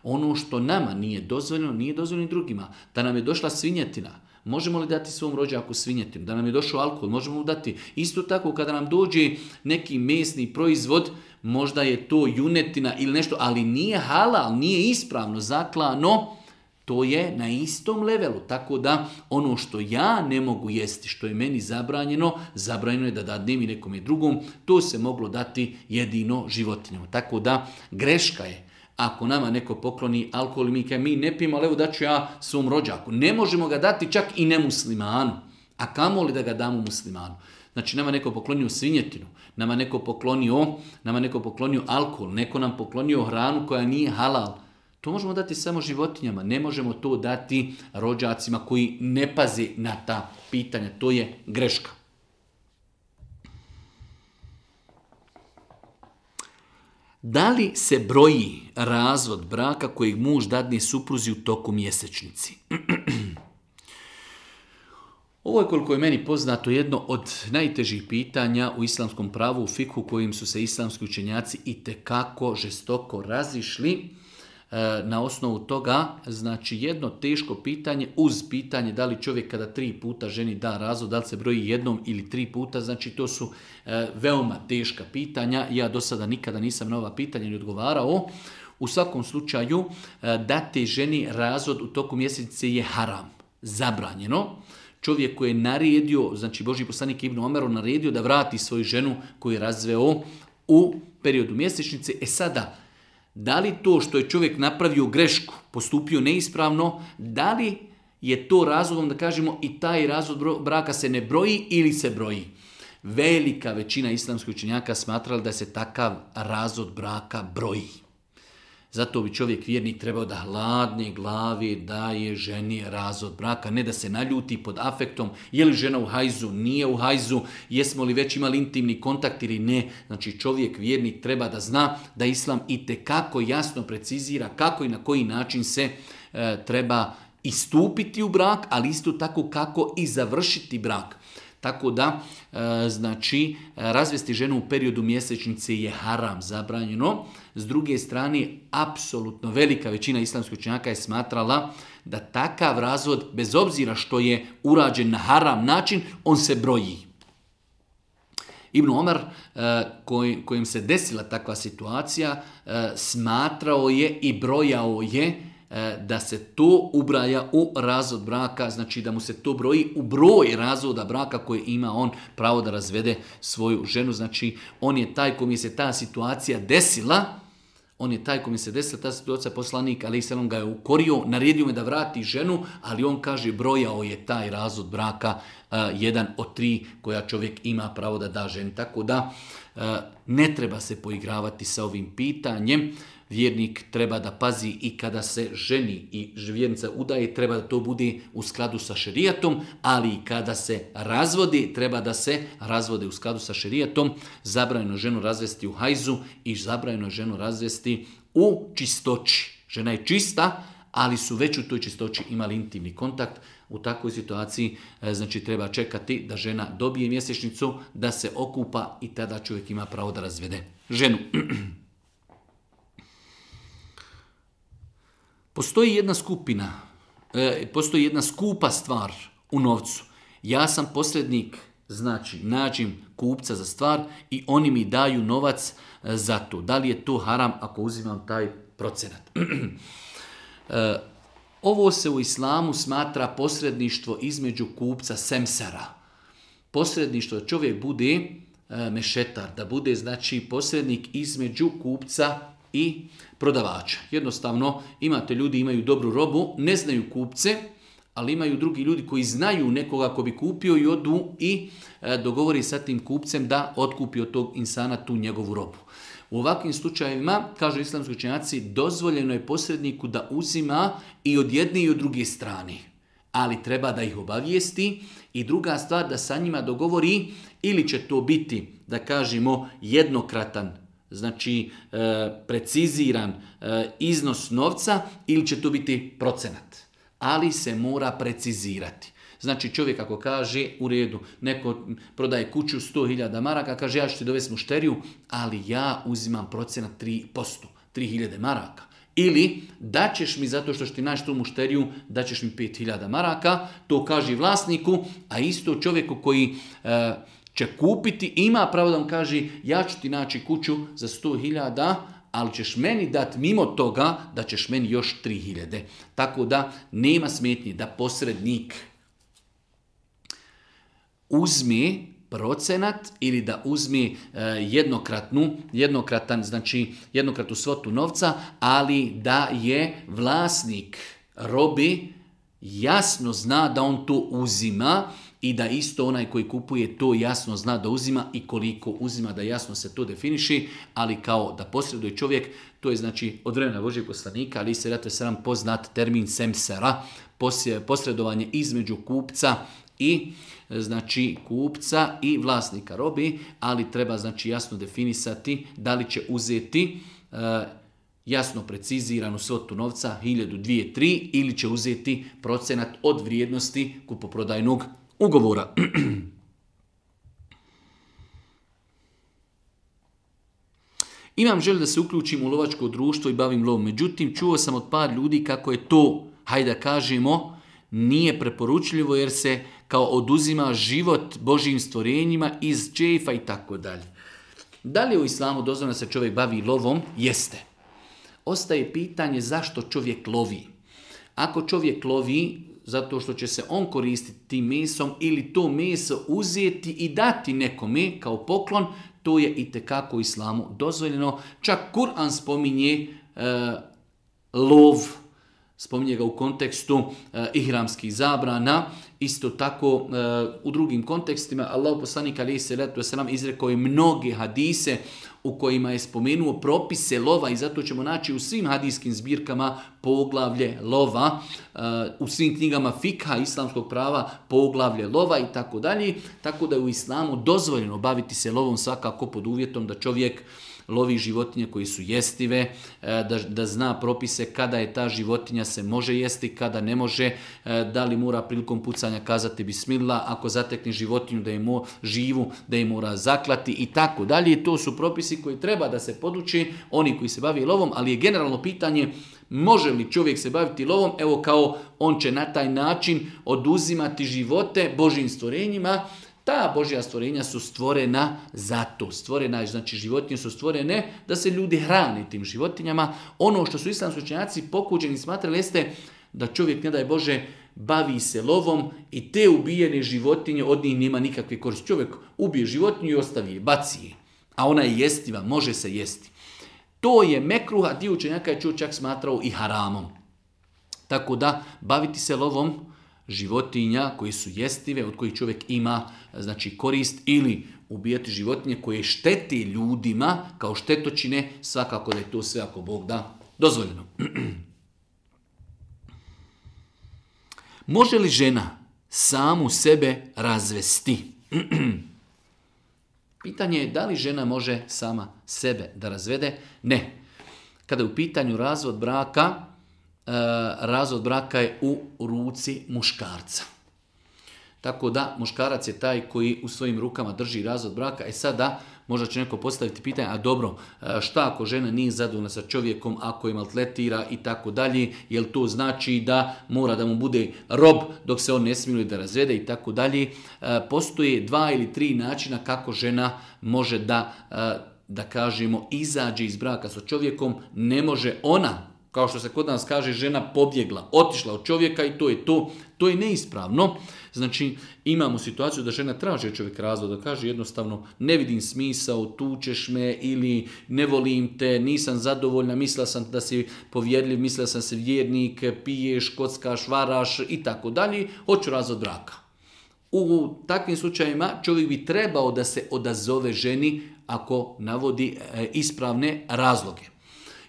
Ono što nama nije dozvoljeno drugima. Da nam je došla svinjetina, možemo li dati svom rođaku svinjetinu? Da nam je došao alkohol, možemo li dati? Isto tako kada nam dođe neki mesni proizvod, možda je to junetina ili nešto, ali nije halal, nije ispravno zaklano, to je na istom levelu. Tako da ono što ja ne mogu jesti, što je meni zabranjeno je da dadnem i nekome drugom, to se moglo dati jedino životinjama. Tako da greška je. Ako nama neko pokloni alkohol i mi ne pijemo, ali evo daću ja svom rođaku. Ne možemo ga dati čak i nemuslimanu. A kamoli da ga damo muslimanu? Znači nama neko poklonio svinjetinu, nama neko poklonio alkohol, neko nam poklonio hranu koja nije halal. To možemo dati samo životinjama, ne možemo to dati rođacima koji ne paze na ta pitanja. To je greška. Da li se broji razvod braka kojeg muž dadne supruzi u toku mjesečnici? Ovo je, koliko je meni poznato, jedno od najtežih pitanja u islamskom pravu, u fikhu, kojim su se islamski učenjaci itekako žestoko razišli. Na osnovu toga, znači jedno teško pitanje uz pitanje da li čovjek kada 3 puta ženi da razvod, da li se broji jednom ili 3 puta, znači to su veoma teška pitanja. Ja do sada nikada nisam na ova pitanja ni odgovarao. U svakom slučaju, dati ženi razvod u toku mjesece je haram, zabranjeno. Čovjek koji je naredio, znači Božji poslanik Ibn Omer naredio da vrati svoju ženu koju je razveo u periodu mjesečnice. Sada, da li to što je čovjek napravio grešku, postupio neispravno, da li je to razlogom da kažemo i taj razvod braka se ne broji ili se broji? Velika većina islamskih učenjaka smatrala da se takav razvod braka broji. Zato bi čovjek vjernik trebao da hladne glave daje ženi razvod braka, ne da se naljuti pod afektom, je li žena u hajzu, nije u hajzu, jesmo li već imali intimni kontakt ili ne. Znači čovjek vjernik treba da zna da Islam itekako jasno precizira kako i na koji način se treba istupiti u brak, ali isto tako kako i završiti brak. Tako da, znači, razvesti ženu u periodu mjesečnice je haram, zabranjeno. S druge strane, apsolutno velika većina islamskih učenjaka je smatrala da takav razvod, bez obzira što je urađen na haram način, on se broji. Ibn Omar, kojim se desila takva situacija, smatrao je i brojao je da se to ubraja u razvod braka, znači da mu se to broji u broj razvoda braka koji ima on pravo da razvede svoju ženu. Znači on je taj kojim se ta situacija desila, ta situacija, poslanik alejhi selam ga je ukorio, naredio me da vrati ženu, ali on kaže brojao je taj razvod braka jedan od 3 koja čovjek ima pravo da da ženi. Tako da ne treba se poigravati sa ovim pitanjem. Vjernik treba da pazi i kada se ženi i vjernica udaje, treba da to bude u skladu sa šerijatom, ali i kada se razvodi, treba da se razvode u skladu sa šerijatom. Zabranjeno ženu razvesti u hajzu i zabranjeno ženu razvesti u čistoći. Žena je čista, ali su već u toj čistoći imali intimni kontakt. U takvoj situaciji znači treba čekati da žena dobije mjesečnicu, da se okupa i tada čovjek ima pravo da razvede ženu. Postoji jedna skupa stvar u novcu. Ja sam posrednik, znači nađem kupca za stvar i oni mi daju novac za to. Da li je to haram ako uzimam taj procenat? Ovo se u islamu smatra posredništvo između kupca semsara. Posredništvo da čovjek bude mešetar, da bude znači posrednik između kupca i prodavača. Jednostavno, imaju dobru robu, ne znaju kupce, ali imaju drugi ljudi koji znaju nekoga ko bi kupio i odu i dogovori sa tim kupcem da otkupi od tog insana tu njegovu robu. U ovakvim slučajevima, kažu islamski učenjaci, dozvoljeno je posredniku da uzima i od jedne i od druge strane. Ali treba da ih obavijesti i druga stvar da sa njima dogovori ili će to biti, da kažemo, jednokratan, znači preciziran iznos novca ili će to biti procenat. Ali se mora precizirati. Znači čovjek ako kaže u redu, neko prodaje kuću 100.000 maraka, kaže ja ću ti dovesti mušteriju, ali ja uzimam procenat 3%, 3.000 maraka. Ili daćeš mi zato što ću ti naći tu mušteriju, daćeš mi 5.000 maraka, to kaže vlasniku, a isto čovjeku koji će kupiti, ima pravo da vam kaže ja ću ti naći kuću za 100.000, ali ćeš meni dati mimo toga da ćeš meni još 3.000. Tako da nema smetnje da posrednik uzme procenat ili da uzme jednokratnu svotu novca, ali da je vlasnik robe jasno zna da on to uzima i da isto onaj koji kupuje to jasno zna da uzima i koliko uzima, da jasno se to definiši, ali kao da posreduje čovjek, to je znači od vremena Božjeg poslanika, ali se rate sram poznat termin semsera, posredovanje između kupca i vlasnika robe, ali treba znači jasno definisati da li će uzeti jasno preciziranu svotu novca 1.000, 2.000, 3.000 ili će uzeti procenat od vrijednosti kupoprodajnog ugovora. Imam želju da se uključim u lovačko društvo i bavim lovom. Međutim, čuo sam od par ljudi kako je to, hajde da kažemo, nije preporučljivo jer se kao oduzima život Božjim stvorenjima iz džefa i tako dalje. Da li je u islamu dozvoljeno da se čovjek bavi lovom? Jeste. Ostaje pitanje zašto čovjek lovi. Ako čovjek lovi zato što će se on koristiti tim mesom ili to meso uzeti i dati nekome kao poklon, to je itekako u islamu dozvoljeno. Čak Kur'an spominje lov, spominje ga u kontekstu ihramskih zabrana, isto tako u drugim kontekstima. Allahu poslanik alejhi selatu vesselam izrekao je mnoge hadise u kojima je spomenuo propise lova i zato ćemo naći u svim hadijskim zbirkama poglavlje lova, u svim knjigama fikha islamskog prava poglavlje lova i tako dalje. Tako da je u islamu dozvoljeno baviti se lovom svakako pod uvjetom da čovjek lovi životinje koje su jestive, da zna propise kada je ta životinja se može jesti, kada ne može, da li mora prilikom pucanja kazati bismillah, ako zatekne životinju da je živu, da je mora zaklati i tako dalje. To su propisi koji treba da se poduči oni koji se bavi lovom, ali je generalno pitanje može li čovjek se baviti lovom, evo kao on će na taj način oduzimati živote Božjim stvorenjima. Ta Božja stvorenja su stvorena zato. Znači životinje su stvorene da se ljudi hrane tim životinjama. Ono što su islamski učenjaci pokuđeni smatrali jeste da čovjek, ne daj Bože, bavi se lovom i te ubijene životinje, od njih nema nikakve koristi. Čovjek ubije životinju i ostavi je, baci je. A ona je jestiva, može se jesti. To je mekruh, a dio učenjaka je čak smatrao i haramom. Tako da baviti se lovom životinja koji su jestive, od kojih čovjek ima znači korist, ili ubijati životinje koje štete ljudima kao štetočine, svakako da je to sve, ako Bog da, dozvoljeno. Može li žena samu sebe razvesti? Pitanje je da li žena može sama sebe da razvede? Ne. Kada je u pitanju razvod braka je u ruci muškarca. Tako da muškarac je taj koji u svojim rukama drži razvod braka. Sada možda će neko postaviti pitanje, a dobro, šta ako žena nije zadovoljna sa čovjekom, ako je maltretira i tako dalje, jel to znači da mora da mu bude rob dok se on ne smiluje da razvede i tako dalje. Postoje 2 ili 3 načina kako žena može da kažemo izađe iz braka sa čovjekom. Ne može ona, kao što se kod nas kaže, žena pobjegla, otišla od čovjeka i to je to. To je neispravno. Znači, imamo situaciju da žena traži od čovjeka razvod, da kaže jednostavno ne vidim smisao, tučeš me ili ne volim te, nisam zadovoljna, mislila sam da si povjerljiv, mislila sam se vjernik, piješ, kockaš, varaš i tako dalje, hoću razvod braka. U takvim slučajevima čovjek bi trebao da se odazove ženi ako navodi ispravne razloge.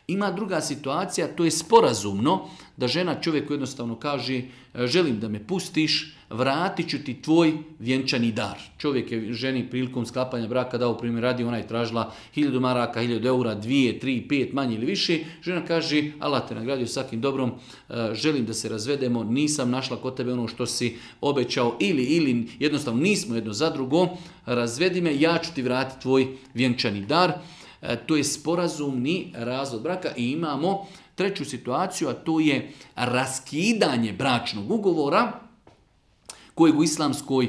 Ima druga situacija, to je sporazumno, da žena čovjeku jednostavno kaže želim da me pustiš, vratit ću ti tvoj vjenčani dar. Čovjek je ženi prilikom sklapanja braka dao primjer radi, ona je tražila 1000 maraka, 1000 eura, 2, 3, 5, manje ili više. Žena kaže Allah te nagradio svakim dobrom, želim da se razvedemo, nisam našla kod tebe ono što si obećao ili jednostavno nismo jedno za drugo, razvedi me, ja ću ti vratiti tvoj vjenčani dar. To je sporazumni razvod braka i imamo treću situaciju, a to je raskidanje bračnog ugovora kojeg u islamskoj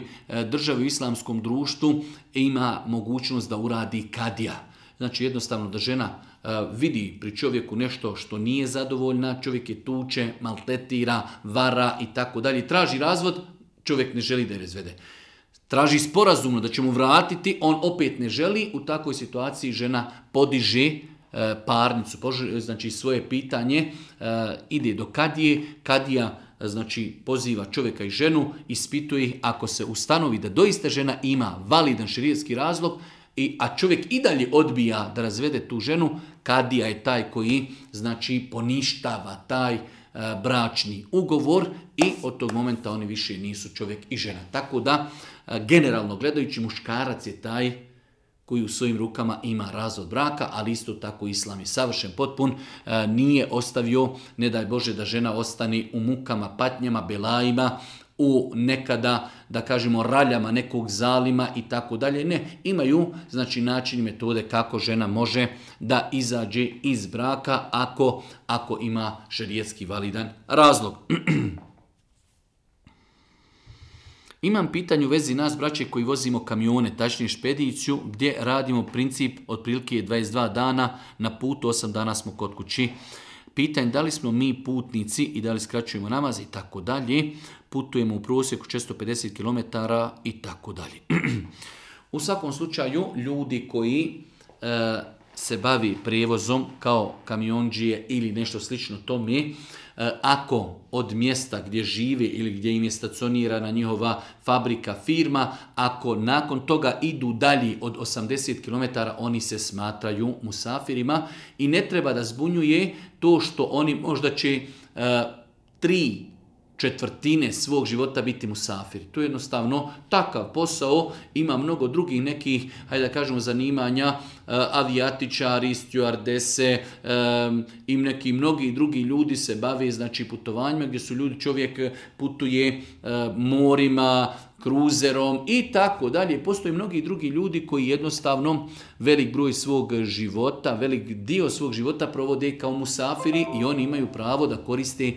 državi, u islamskom društvu ima mogućnost da uradi kadija. Znači jednostavno da žena vidi pri čovjeku nešto što nije zadovoljna, čovjek je tuče, maltretira, vara i tako dalje, traži razvod, čovjek ne želi da je razvede. Traži sporazumno da će mu vratiti, on opet ne želi, u takvoj situaciji žena podiže parnicu, znači svoje pitanje, ide do kadije, kadija znači poziva čovjeka i ženu, ispituje ih, ako se ustanovi da doista žena ima validan šerijatski razlog, a čovjek i dalje odbija da razvede tu ženu, kadija je taj koji znači poništava taj bračni ugovor i od tog momenta oni više nisu čovjek i žena. Tako da, generalno gledajući, muškarac je taj koji u svojim rukama ima razvod braka, ali isto tako islam je savršen, potpun, nije ostavio, ne daj Bože, da žena ostane u mukama, patnjama, belajima, u nekada, da kažemo, raljama nekog zalima i tako dalje. Ne, imaju znači način i metode kako žena može da izađe iz braka ako ima šerijatski validan razlog. Imam pitanje u vezi nas, braće, koji vozimo kamione, tačnije špediciju, gdje radimo princip otprilike 22 dana, na putu 8 dana smo kod kući. Pitanje da li smo mi putnici i da li skraćujemo namaz i tako dalje. Putujemo u prosjeku 450 km i tako dalje. U svakom slučaju, ljudi koji se bavi prijevozom kao kamiondžije ili nešto slično tome, ako od mjesta gdje žive ili gdje im je stacionirana njihova fabrika, firma, ako nakon toga idu dalje od 80 km, oni se smatraju musafirima i ne treba da zbunjuje to što oni možda će 3/4 svog života biti musafiri. To je jednostavno takav posao, ima mnogo drugih nekih, hajde da kažemo, zanimanja, avijatičari, stjuardese i neki mnogi drugi ljudi se bave znači putovanjima gdje su ljudi, čovjek putuje morima, kruzerom i tako dalje. Postoje mnogi drugi ljudi koji jednostavno velik broj svog života, velik dio svog života provode kao musafiri i oni imaju pravo da koriste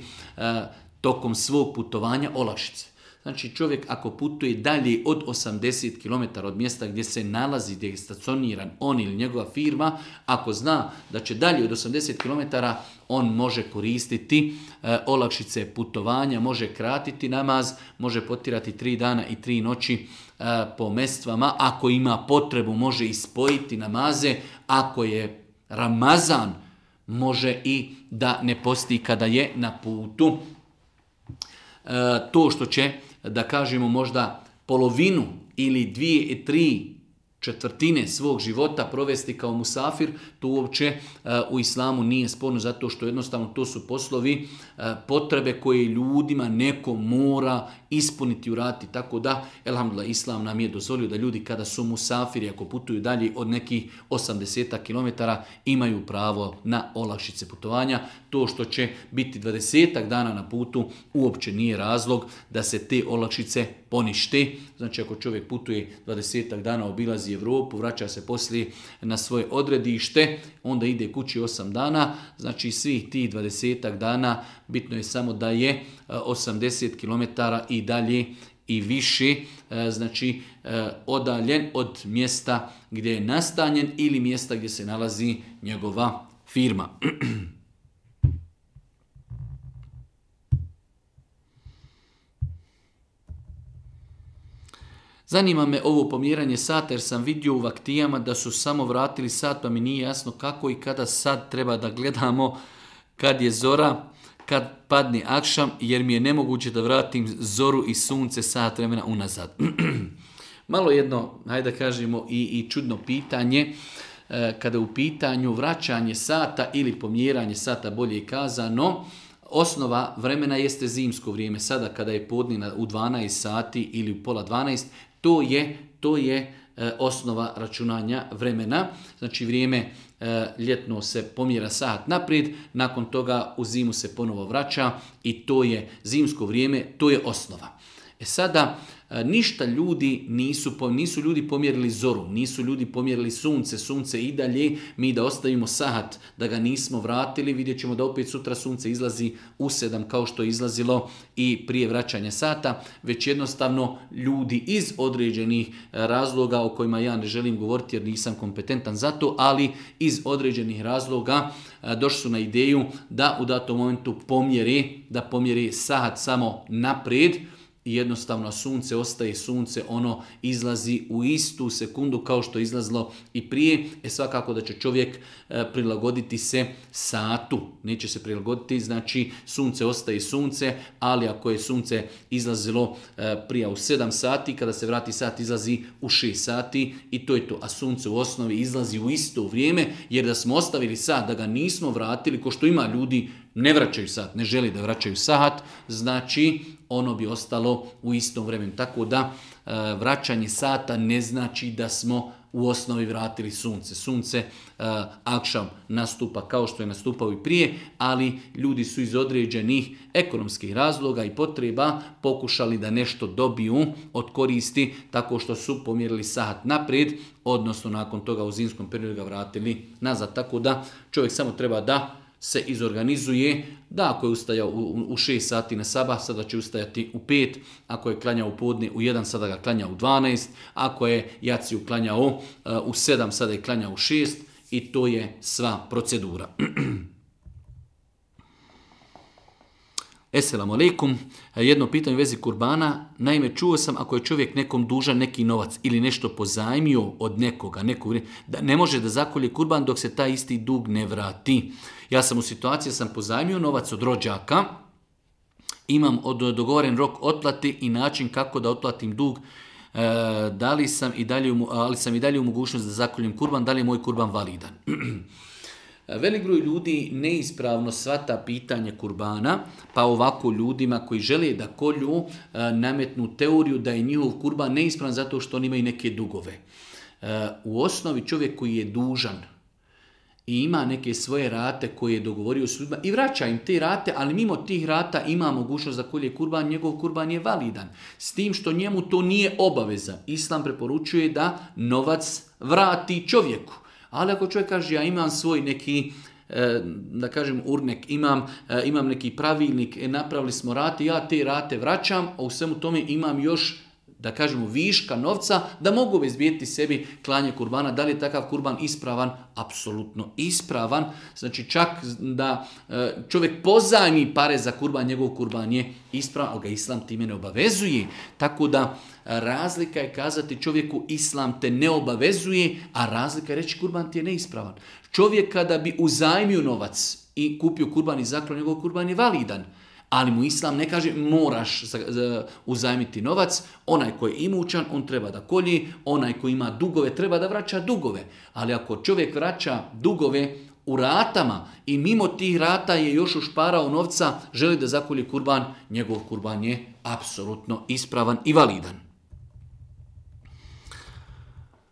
tokom svog putovanja olakšice. Znači čovjek ako putuje dalje od 80 km od mjesta gdje se nalazi, gdje je stacioniran on ili njegova firma, ako zna da će dalje od 80 km, on može koristiti olakšice putovanja, može kratiti namaz, može potirati 3 dana i 3 noći po mestvama. Ako ima potrebu, može ispojiti namaze. Ako je Ramazan, može i da ne posti kada je na putu. To što će, da kažemo, možda polovinu ili 2/3 svog života provesti kao musafir, to uopće u islamu nije sporno, zato što jednostavno to su poslovi, potrebe koje ljudima neko mora ispuniti, uraditi. Tako da, elhamdulillah, islam nam je dozvolio da ljudi kada su musafiri, ako putuju dalje od nekih 80 km, imaju pravo na olakšice putovanja. To što će biti 20 dana na putu uopće nije razlog da se te olakšice ponište. Znači ako čovjek putuje 20 dana, obilazi Evropu, vraća se poslije na svoje odredište, onda ide kući 8 dana, znači svih tih 20 dana bitno je samo da je 80 km i dalje i više, znači odaljen od mjesta gdje je nastanjen ili mjesta gdje se nalazi njegova firma. Zanima me ovo pomjeranje sata jer sam vidio u vaktijama da su samo vratili sat, pa mi nije jasno kako i kada sad treba da gledamo kad je zora, kad padne akšam, jer mi je nemoguće da vratim zoru i sunce sat vremena unazad. Malo jedno, hajde da kažemo, i čudno pitanje, kada u pitanju vraćanje sata ili pomjeranje sata, bolje kazano, osnova vremena jeste zimsko vrijeme. Sada kada je podne u 12 sati ili u pola 12, to je osnova računanja vremena. Znači vrijeme ljetno se pomjera sat naprijed, nakon toga u zimu se ponovo vraća i to je zimsko vrijeme, to je osnova. Sada ništa ljudi nisu ljudi pomjerili zoru, nisu ljudi pomjerili sunce i dalje, mi da ostavimo sat, da ga nismo vratili, vidjet ćemo da opet sutra sunce izlazi u 7 kao što je izlazilo i prije vraćanja sata, već jednostavno ljudi iz određenih razloga o kojima ja ne želim govoriti jer nisam kompetentan za to, ali iz određenih razloga došli su na ideju da u datom momentu pomjeri sat samo naprijed, i jednostavno sunce ostaje sunce, ono izlazi u istu sekundu kao što je izlazilo i prije. Svakako da će čovjek prilagoditi se satu, neće se prilagoditi, znači sunce ostaje sunce, ali ako je sunce izlazilo prije u 7 sati, kada se vrati sat izlazi u 6 sati i to je to. A sunce u osnovi izlazi u isto vrijeme, jer da smo ostavili sat, da ga nismo vratili, ko što ima ljudi, ne vraćaju sat, ne želi da vraćaju sat, znači ono bi ostalo u istom vremenu. Tako da vraćanje sata ne znači da smo u osnovi vratili sunce. Sunce akšam nastupa kao što je nastupao i prije, ali ljudi su iz određenih ekonomskih razloga i potreba pokušali da nešto dobiju od koristi tako što su pomjerili sat naprijed, odnosno nakon toga u zimskom periodu ga vratili nazad. Tako da čovjek samo treba da se izorganizuje, da ako je ustajao u 6 sati na sabah, sada će ustajati u 5, ako je klanjao u podne u 1, sada ga klanja u 12, ako je jaciju klanjao u 7, sada je klanjao u 6 i to je sva procedura. Esselamu alaikum, jedno pitanje u vezi kurbana. Naime, čuo sam ako je čovjek nekom dužan neki novac ili nešto pozajmio od nekoga, da ne može da zakolje kurban dok se taj isti dug ne vrati. Ja sam u situaciji, sam pozajmio novac od rođaka, imam dogovoren rok otplati i način kako da otplatim dug, ali sam i dalje u mogućnost da zakoljem kurban, da li je moj kurban validan? Velik broj ljudi neispravno shvata pitanje kurbana, pa ovako ljudima koji žele da kolju nametnu teoriju da je njihov kurban neispravan zato što oni imaju neke dugove. U osnovi čovjek koji je dužan i ima neke svoje rate koje je dogovorio s ljudima i vraća im te rate, ali mimo tih rata ima mogućnost da kolje kurban, njegov kurban je validan. S tim što njemu to nije obaveza. Islam preporučuje da novac vrati čovjeku. Ali ako čovjek kaže ja imam svoj neki, da kažem urnek, imam neki pravilnik, napravili smo rate, ja te rate vraćam, a u svemu tome imam još, da kažemo, viška novca, da mogu obezbijeti sebi klanje kurbana. Da li je takav kurban ispravan? Apsolutno ispravan. Znači čak da čovjek pozajmi pare za kurban, njegov kurban je ispravan, ali ga Islam time ne obavezuje. Tako da razlika je kazati čovjeku Islam te ne obavezuje, a razlika je reći kurban ti je neispravan. Čovjek kada bi uzajmio novac i kupio kurban i zaklao, njegov kurban je validan. Ali mu Islam ne kaže moraš uzajmiti novac, onaj koji je imućan, on treba da kolji, onaj koji ima dugove treba da vraća dugove. Ali ako čovjek vraća dugove u ratama i mimo tih rata je još ušparao novca, želi da zakolji kurban, njegov kurban je apsolutno ispravan i validan.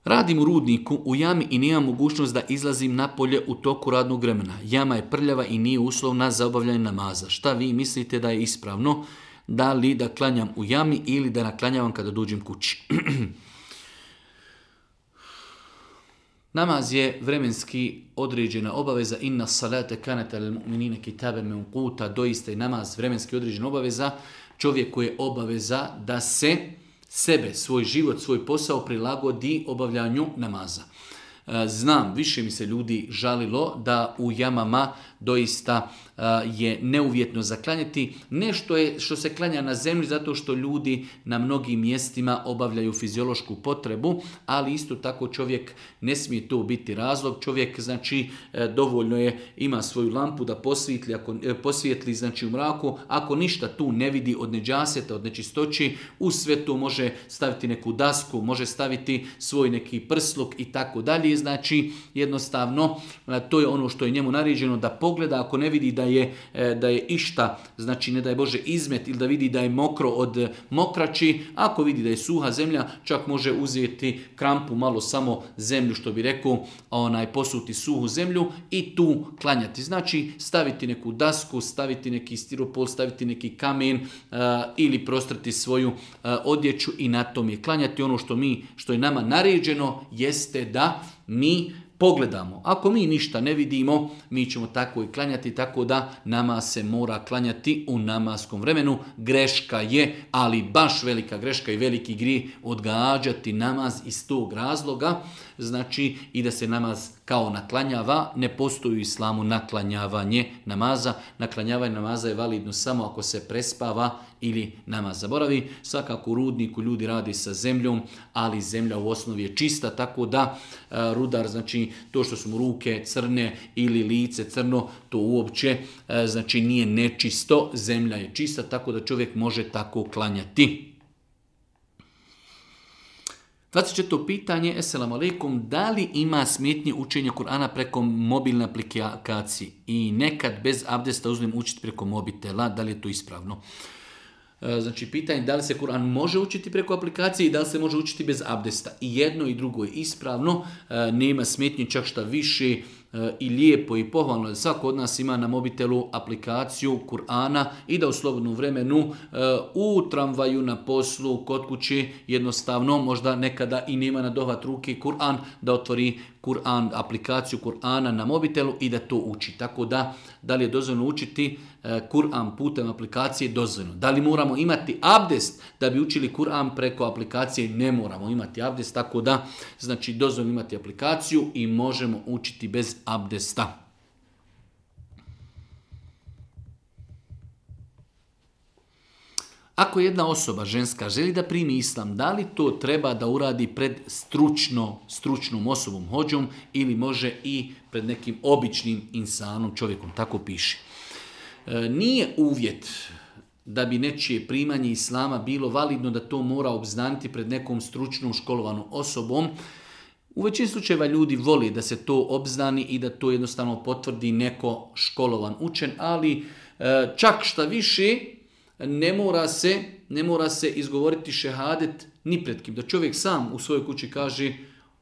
Radim u rudniku, u jami i nemam mogućnost da izlazim napolje u toku radnog vremena. Jama je prljava i nije uslovna za obavljanje namaza. Šta vi mislite da je ispravno? Da li da klanjam u jami ili da naklanjavam kada dođem kući? Namaz je vremenski određena obaveza. Inna salate kanata lil mu'minina kitaben mawquta. Doista je namaz vremenski određena obaveza. Čovjeku je obaveza da se sebe, svoj život, svoj posao prilagodi obavljanju namaza. Znam, više mi se ljudi žalilo da u jamama doista je neuvjetno zaklanjati. Nešto je što se klanja na zemlji zato što ljudi na mnogim mjestima obavljaju fiziološku potrebu, ali isto tako čovjek ne smije to biti razlog. Čovjek znači dovoljno je, ima svoju lampu da posvijetli znači u mraku, ako ništa tu ne vidi od neđaseta, od nečistoći, u sve to može staviti neku dasku, može staviti svoj neki prsluk i tako dalje. Znači jednostavno to je ono što je njemu naređeno da pogleda, ako ne vidi da je išta, znači ne daj Bože izmet ili da vidi da je mokro od mokraći, ako vidi da je suha zemlja, čak može uzeti krampu, malo samo zemlju, što bi rekao, posuti suhu zemlju i tu klanjati. Znači staviti neku dasku, staviti neki stiropol, staviti neki kamen ili prostrati svoju odjeću i na tom je klanjati. Ono što je nama naređeno jeste da mi pogledamo. Ako mi ništa ne vidimo, mi ćemo tako i klanjati, tako da nama se mora klanjati u namaskom vremenu. Greška je, ali baš velika greška i veliki grijeh odgađati namaz iz tog razloga. Znači i da se namaz kao naklanjava, ne postoji u islamu naklanjavanje namaza. Naklanjavanje namaza je validno samo ako se prespava ili namaz zaboravi. Svakako u rudniku ljudi radi sa zemljom, ali zemlja u osnovi je čista, tako da rudar, znači to što su mu ruke crne ili lice crno, to uopće znači nije nečisto, zemlja je čista, tako da čovjek može tako klanjati. 24. pitanje, Esselamu alaikum, da li ima smetnje učenja Kur'ana preko mobilne aplikacije i nekad bez abdesta uzmem učiti preko mobitela, da li je to ispravno? Znači pitanje da li se Kur'an može učiti preko aplikacije i da li se može učiti bez abdesta. I jedno i drugo je ispravno, nema smetnje, čak šta više i lijepo i pohvalno da svako od nas ima na mobitelu aplikaciju Kur'ana i da u slobodnom vremenu u tramvaju, na poslu, kod kući jednostavno možda nekada i nema na dohvat ruke Kur'an, da otvori Kur'an, aplikaciju Kur'ana na mobitelu i da to uči. Tako da li je dozvoljeno učiti Kur'an putem aplikacije? Dozvoljeno. Da li moramo imati abdest da bi učili Kur'an preko aplikacije? Ne moramo imati abdest, tako da znači dozvoljeno imati aplikaciju i možemo učiti bez abdesta. Ako jedna osoba ženska želi da primi islam, da li to treba da uradi pred stručnom osobom, hođom, ili može i pred nekim običnim insanom, čovjekom, tako piše. Nije uvjet da bi nečije primanje islama bilo validno da to mora obznaniti pred nekom stručnom školovanom osobom. U većini slučajeva ljudi voli da se to obznani i da to jednostavno potvrdi neko školovan učen, ali čak šta više ne mora se izgovoriti šehadet ni pred kim. Da čovjek sam u svojoj kući kaže,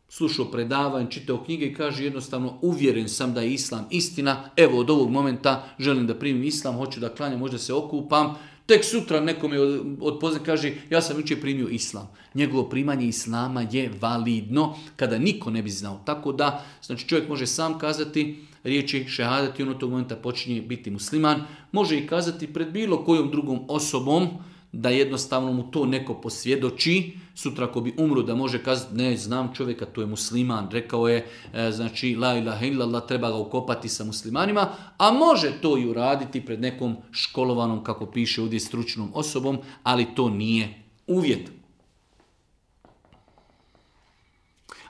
slušao predavanje, čitao knjige i kaže jednostavno uvjeren sam da je islam istina, evo od ovog momenta želim da primim islam, hoću da klanjam, možda se okupam, tek sutra nekome od pozne kaže ja sam jučer primio islam. Njegovo primanje islama je validno kada niko ne bi znao. Tako da, znači čovjek može sam kazati riječi šehadet i on od tog momenta počinje biti musliman. Može i kazati pred bilo kojom drugom osobom da jednostavno mu to neko posvjedoči. Sutra ako bi umro da može kazati ne znam čovjeka, to je musliman, rekao je znači la ilaha illallah, treba ga ukopati sa muslimanima, a može to i uraditi pred nekom školovanom, kako piše ovdje, stručnom osobom, ali to nije uvjet.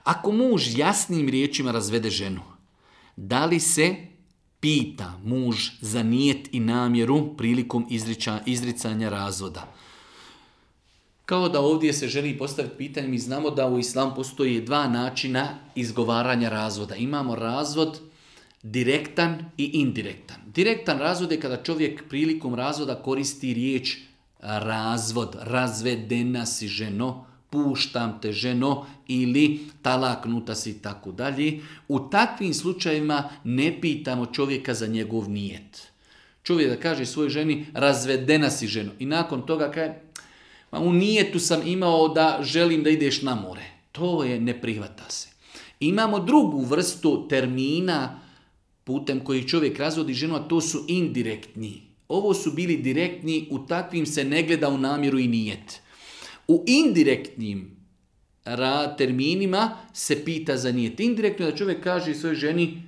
Ako muž jasnim riječima razvede ženu, da li se pita muž za nijet i namjeru prilikom izricanja razvoda? Kao da ovdje se želi postaviti pitanje, mi znamo da u islamu postoji dva načina izgovaranja razvoda. Imamo razvod direktan i indirektan. Direktan razvod je kada čovjek prilikom razvoda koristi riječ razvod, razvedena si ženo, puštam te ženo ili talaknuta si i tako dalje. U takvim slučajevima ne pitamo čovjeka za njegov nijet. Čovjek da kaže svojoj ženi razvedena si ženo i nakon toga kaže u nijetu sam imao da želim da ideš na more. To je, ne prihvata se. Imamo drugu vrstu termina putem kojih čovjek razvodi ženu, a to su indirektni. Ovo su bili direktni, u takvim se ne gleda u namjeru i nijet. U indirektnim terminima se pita za nijet. Indirektno da čovjek kaže svojoj ženi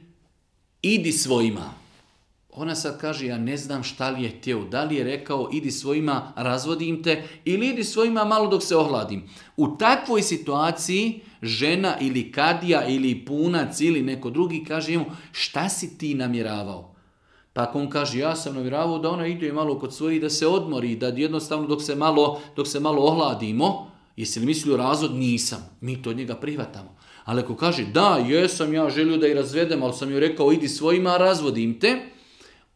idi svojima. Ona sad kaže ja ne znam šta li je htio. Da li je rekao idi svojima razvodim te ili idi svojima malo dok se ohladim. U takvoj situaciji žena ili kadija ili punac ili neko drugi kaže mu šta si ti namjeravao? Pa ako on kaže ja sam namjeravao da ona ide malo kod svojih da se odmori, da jednostavno dok se malo ohladimo, jesi li mislio razvod? Nisam. Mi to od njega prihvatamo. Ali ako kaže da, jesam ja želio da i razvedem, ali sam joj rekao idi svojima, razvodim te,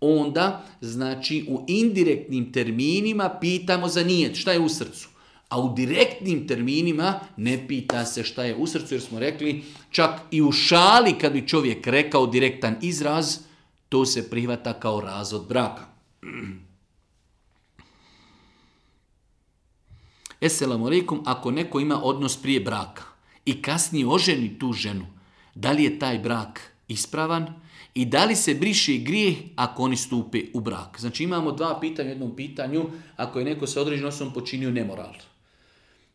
onda znači u indirektnim terminima pitamo za nijet, šta je u srcu. A u direktnim terminima ne pita se šta je u srcu, jer smo rekli čak i u šali kad bi čovjek rekao direktan izraz, to se prihvata kao razvod braka. Esselamu alaikum, ako neko ima odnos prije braka i kasnije oženi tu ženu, da li je taj brak ispravan i da li se briše grijeh ako oni stupe u brak? Znači imamo dva pitanja u jednom pitanju, ako je neko sa određenom osobom počinio nemoral.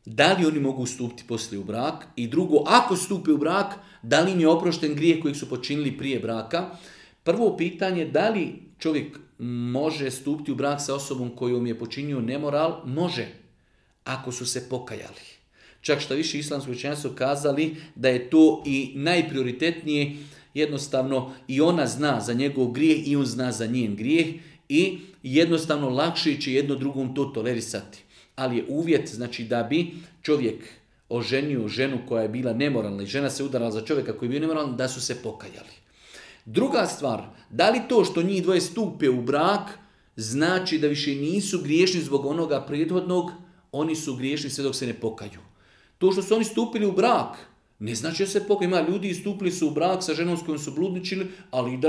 Da li oni mogu stupiti poslije u brak? I drugo, ako stupe u brak, da li im je oprošten grijeh kojeg su počinili prije braka? Prvo pitanje, da li čovjek može stupiti u brak sa osobom kojom je počinio nemoral? Može, ako su se pokajali. Čak šta više islamski učenjaci su kazali da je to i najprioritetnije, jednostavno i ona zna za njegov grijeh i on zna za njen grijeh i jednostavno lakše će jedno drugom to tolerisati. Ali je uvjet znači da bi čovjek oženio ženu koja je bila nemoralna i žena se udarala za čovjeka koji je bio nemoralan, da su se pokajali. Druga stvar, da li to što njih dvoje stupe u brak znači da više nisu griješni zbog onoga prethodnog, oni su griješni sve dok se ne pokaju. To što su oni stupili u brak ne znači da se pokaju. Ima ljudi stupili su u brak sa ženom s kojom su bludničili, ali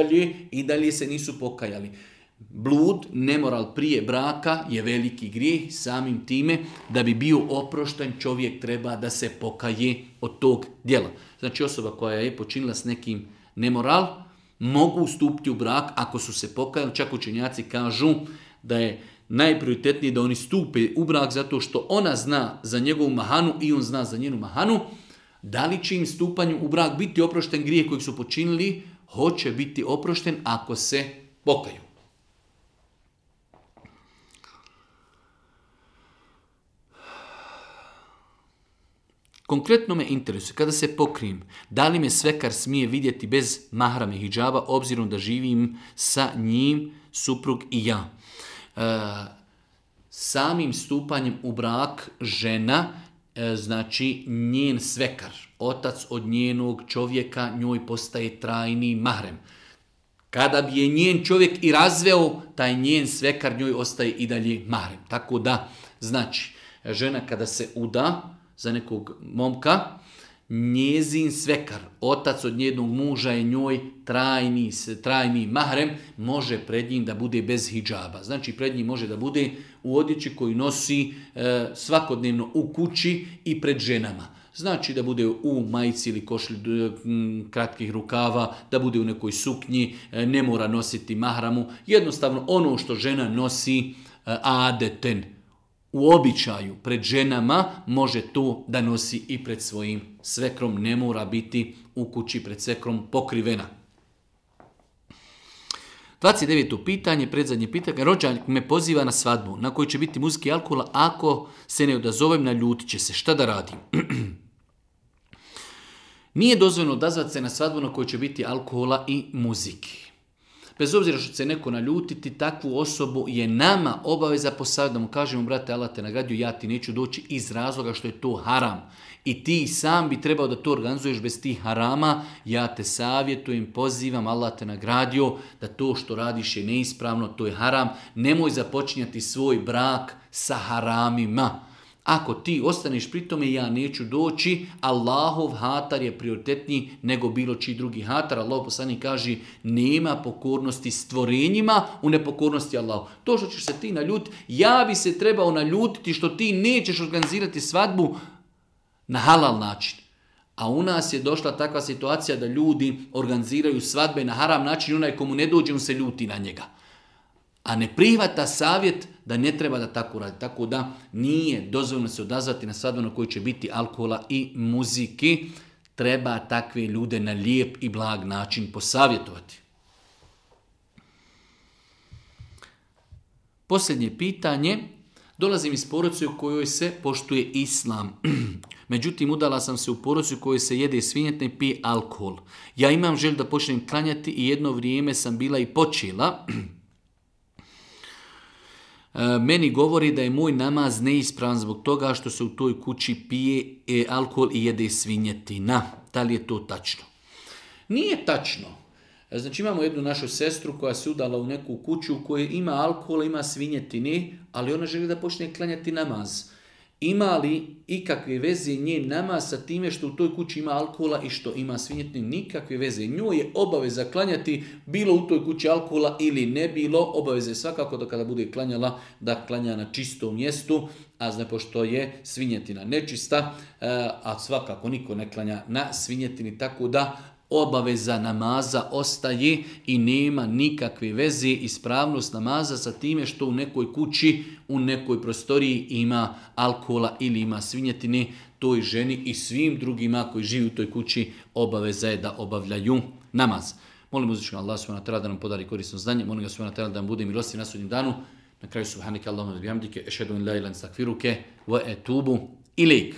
i dalje se nisu pokajali. Blud, nemoral prije braka je veliki grijeh, samim time da bi bio oprošten čovjek treba da se pokaje od tog djela. Znači osoba koja je počinila s nekim nemoral, mogu stupiti u brak ako su se pokajali. Čak učenjaci kažu da je najprioritetnije da oni stupe u brak zato što ona zna za njegovu mahanu i on zna za njenu mahanu. Da li će im stupanju u brak biti oprošten grijeh kojeg su počinili? Hoće biti oprošten ako se pokaju. Konkretno me interesuje, kada se pokrijem, da li me svekar smije vidjeti bez mahrama i hidžaba, obzirom da živim sa njim, suprug i ja. Samim stupanjem u brak žena, znači njen svekar, otac od njenog čovjeka, njoj postaje trajni mahrem. Kada bi je njen čovjek i razveo, taj njen svekar njoj ostaje i dalje mahrem. Tako da, znači, žena kada se uda za nekog momka, njezin svekar, otac od njenog muža je njoj trajni mahrem, može pred njim da bude bez hidžaba. Znači pred njim može da bude u odjeći koju nosi svakodnevno u kući i pred ženama. Znači da bude u majici ili košlji kratkih rukava, da bude u nekoj suknji, ne mora nositi mahramu. Jednostavno ono što žena nosi adeten, u običaju pred ženama, može to da nosi i pred svojim svekrom, ne mora biti u kući pred svekrom pokrivena. 29. pitanje, predzadnje pitanje. Rođak me poziva na svadbu na kojoj će biti muzike i alkohola. Ako se ne odazovem, naljutit će se. Šta da radim? Nije dozvoljeno odazvati se na svadbu na kojoj će biti alkohola i muzike. Bez obzira što će se neko naljutiti, takvu osobu je nama obaveza posavjeti da mu kažemo, brate, Allah te nagradio, ja ti neću doći iz razloga što je to haram. I ti sam bi trebao da to organizuješ bez tih harama. Ja te savjetujem, pozivam, Allah te nagradio, da to što radiš je neispravno, to je haram. Nemoj započinjati svoj brak sa haramima. Ako ti ostaneš pri tome, ja neću doći, Allahov hatar je prioritetniji nego bilo čiji drugi hatar. Allah poslanik kaže, nema pokornosti stvorenjima u nepokornosti Allahu. To što ćeš se ti naljutiti, ja bi se trebao naljutiti što ti nećeš organizirati svadbu na halal način. A u nas je došla takva situacija da ljudi organiziraju svadbe na haram način, onaj komu ne dođe, on se ljuti na njega. A ne prihvata savjet da ne treba da tako radi. Tako da nije dozvoljeno se odazvati na svadbu na kojoj će biti alkohola i muzike. Treba takve ljude na lijep i blag način posavjetovati. Posljednje pitanje. Dolazim iz porodice u kojoj se poštuje islam. Međutim, udala sam se u porodicu u kojoj se jede svinjetine i pije alkohol. Ja imam želju da počnem klanjati i jedno vrijeme sam bila i počela. Meni govori da je moj namaz neispravan zbog toga što se u toj kući pije alkohol i jede svinjetina. Da li je to tačno? Nije tačno. Znači imamo jednu našu sestru koja se udala u neku kuću u kojoj ima alkohola, ima svinjetine, ali ona želi da počne klanjati namaz. Ima li ikakve veze njen namaz sa time što u toj kući ima alkohola i što ima svinjetine? Nikakve veze. Njoj je obaveza klanjati bilo u toj kući alkohola ili ne bilo. Obaveza je svakako da kada bude klanjala, da klanja na čistom mjestu, a zna pošto je svinjetina nečista, a svakako niko ne klanja na svinjetini, tako da obaveza namaza ostaje i nema nikakve veze ispravnost namaza sa time što u nekoj kući, u nekoj prostoriji ima alkohola ili ima svinjetine. Toj ženi i svim drugima koji žive u toj kući obaveza je da obavljaju namaz. Molim uzvišenog Allah subhanahu wa ta'ala da nam podari korisno znanje. Molim ga subhanahu wa ta'ala da nam bude milostiv na sudnjem danu. Na kraju subhanaka Allahumma wa bihamdike, ešhedu an la ilaha illa anta, astaghfiruke wa etubu ilejk.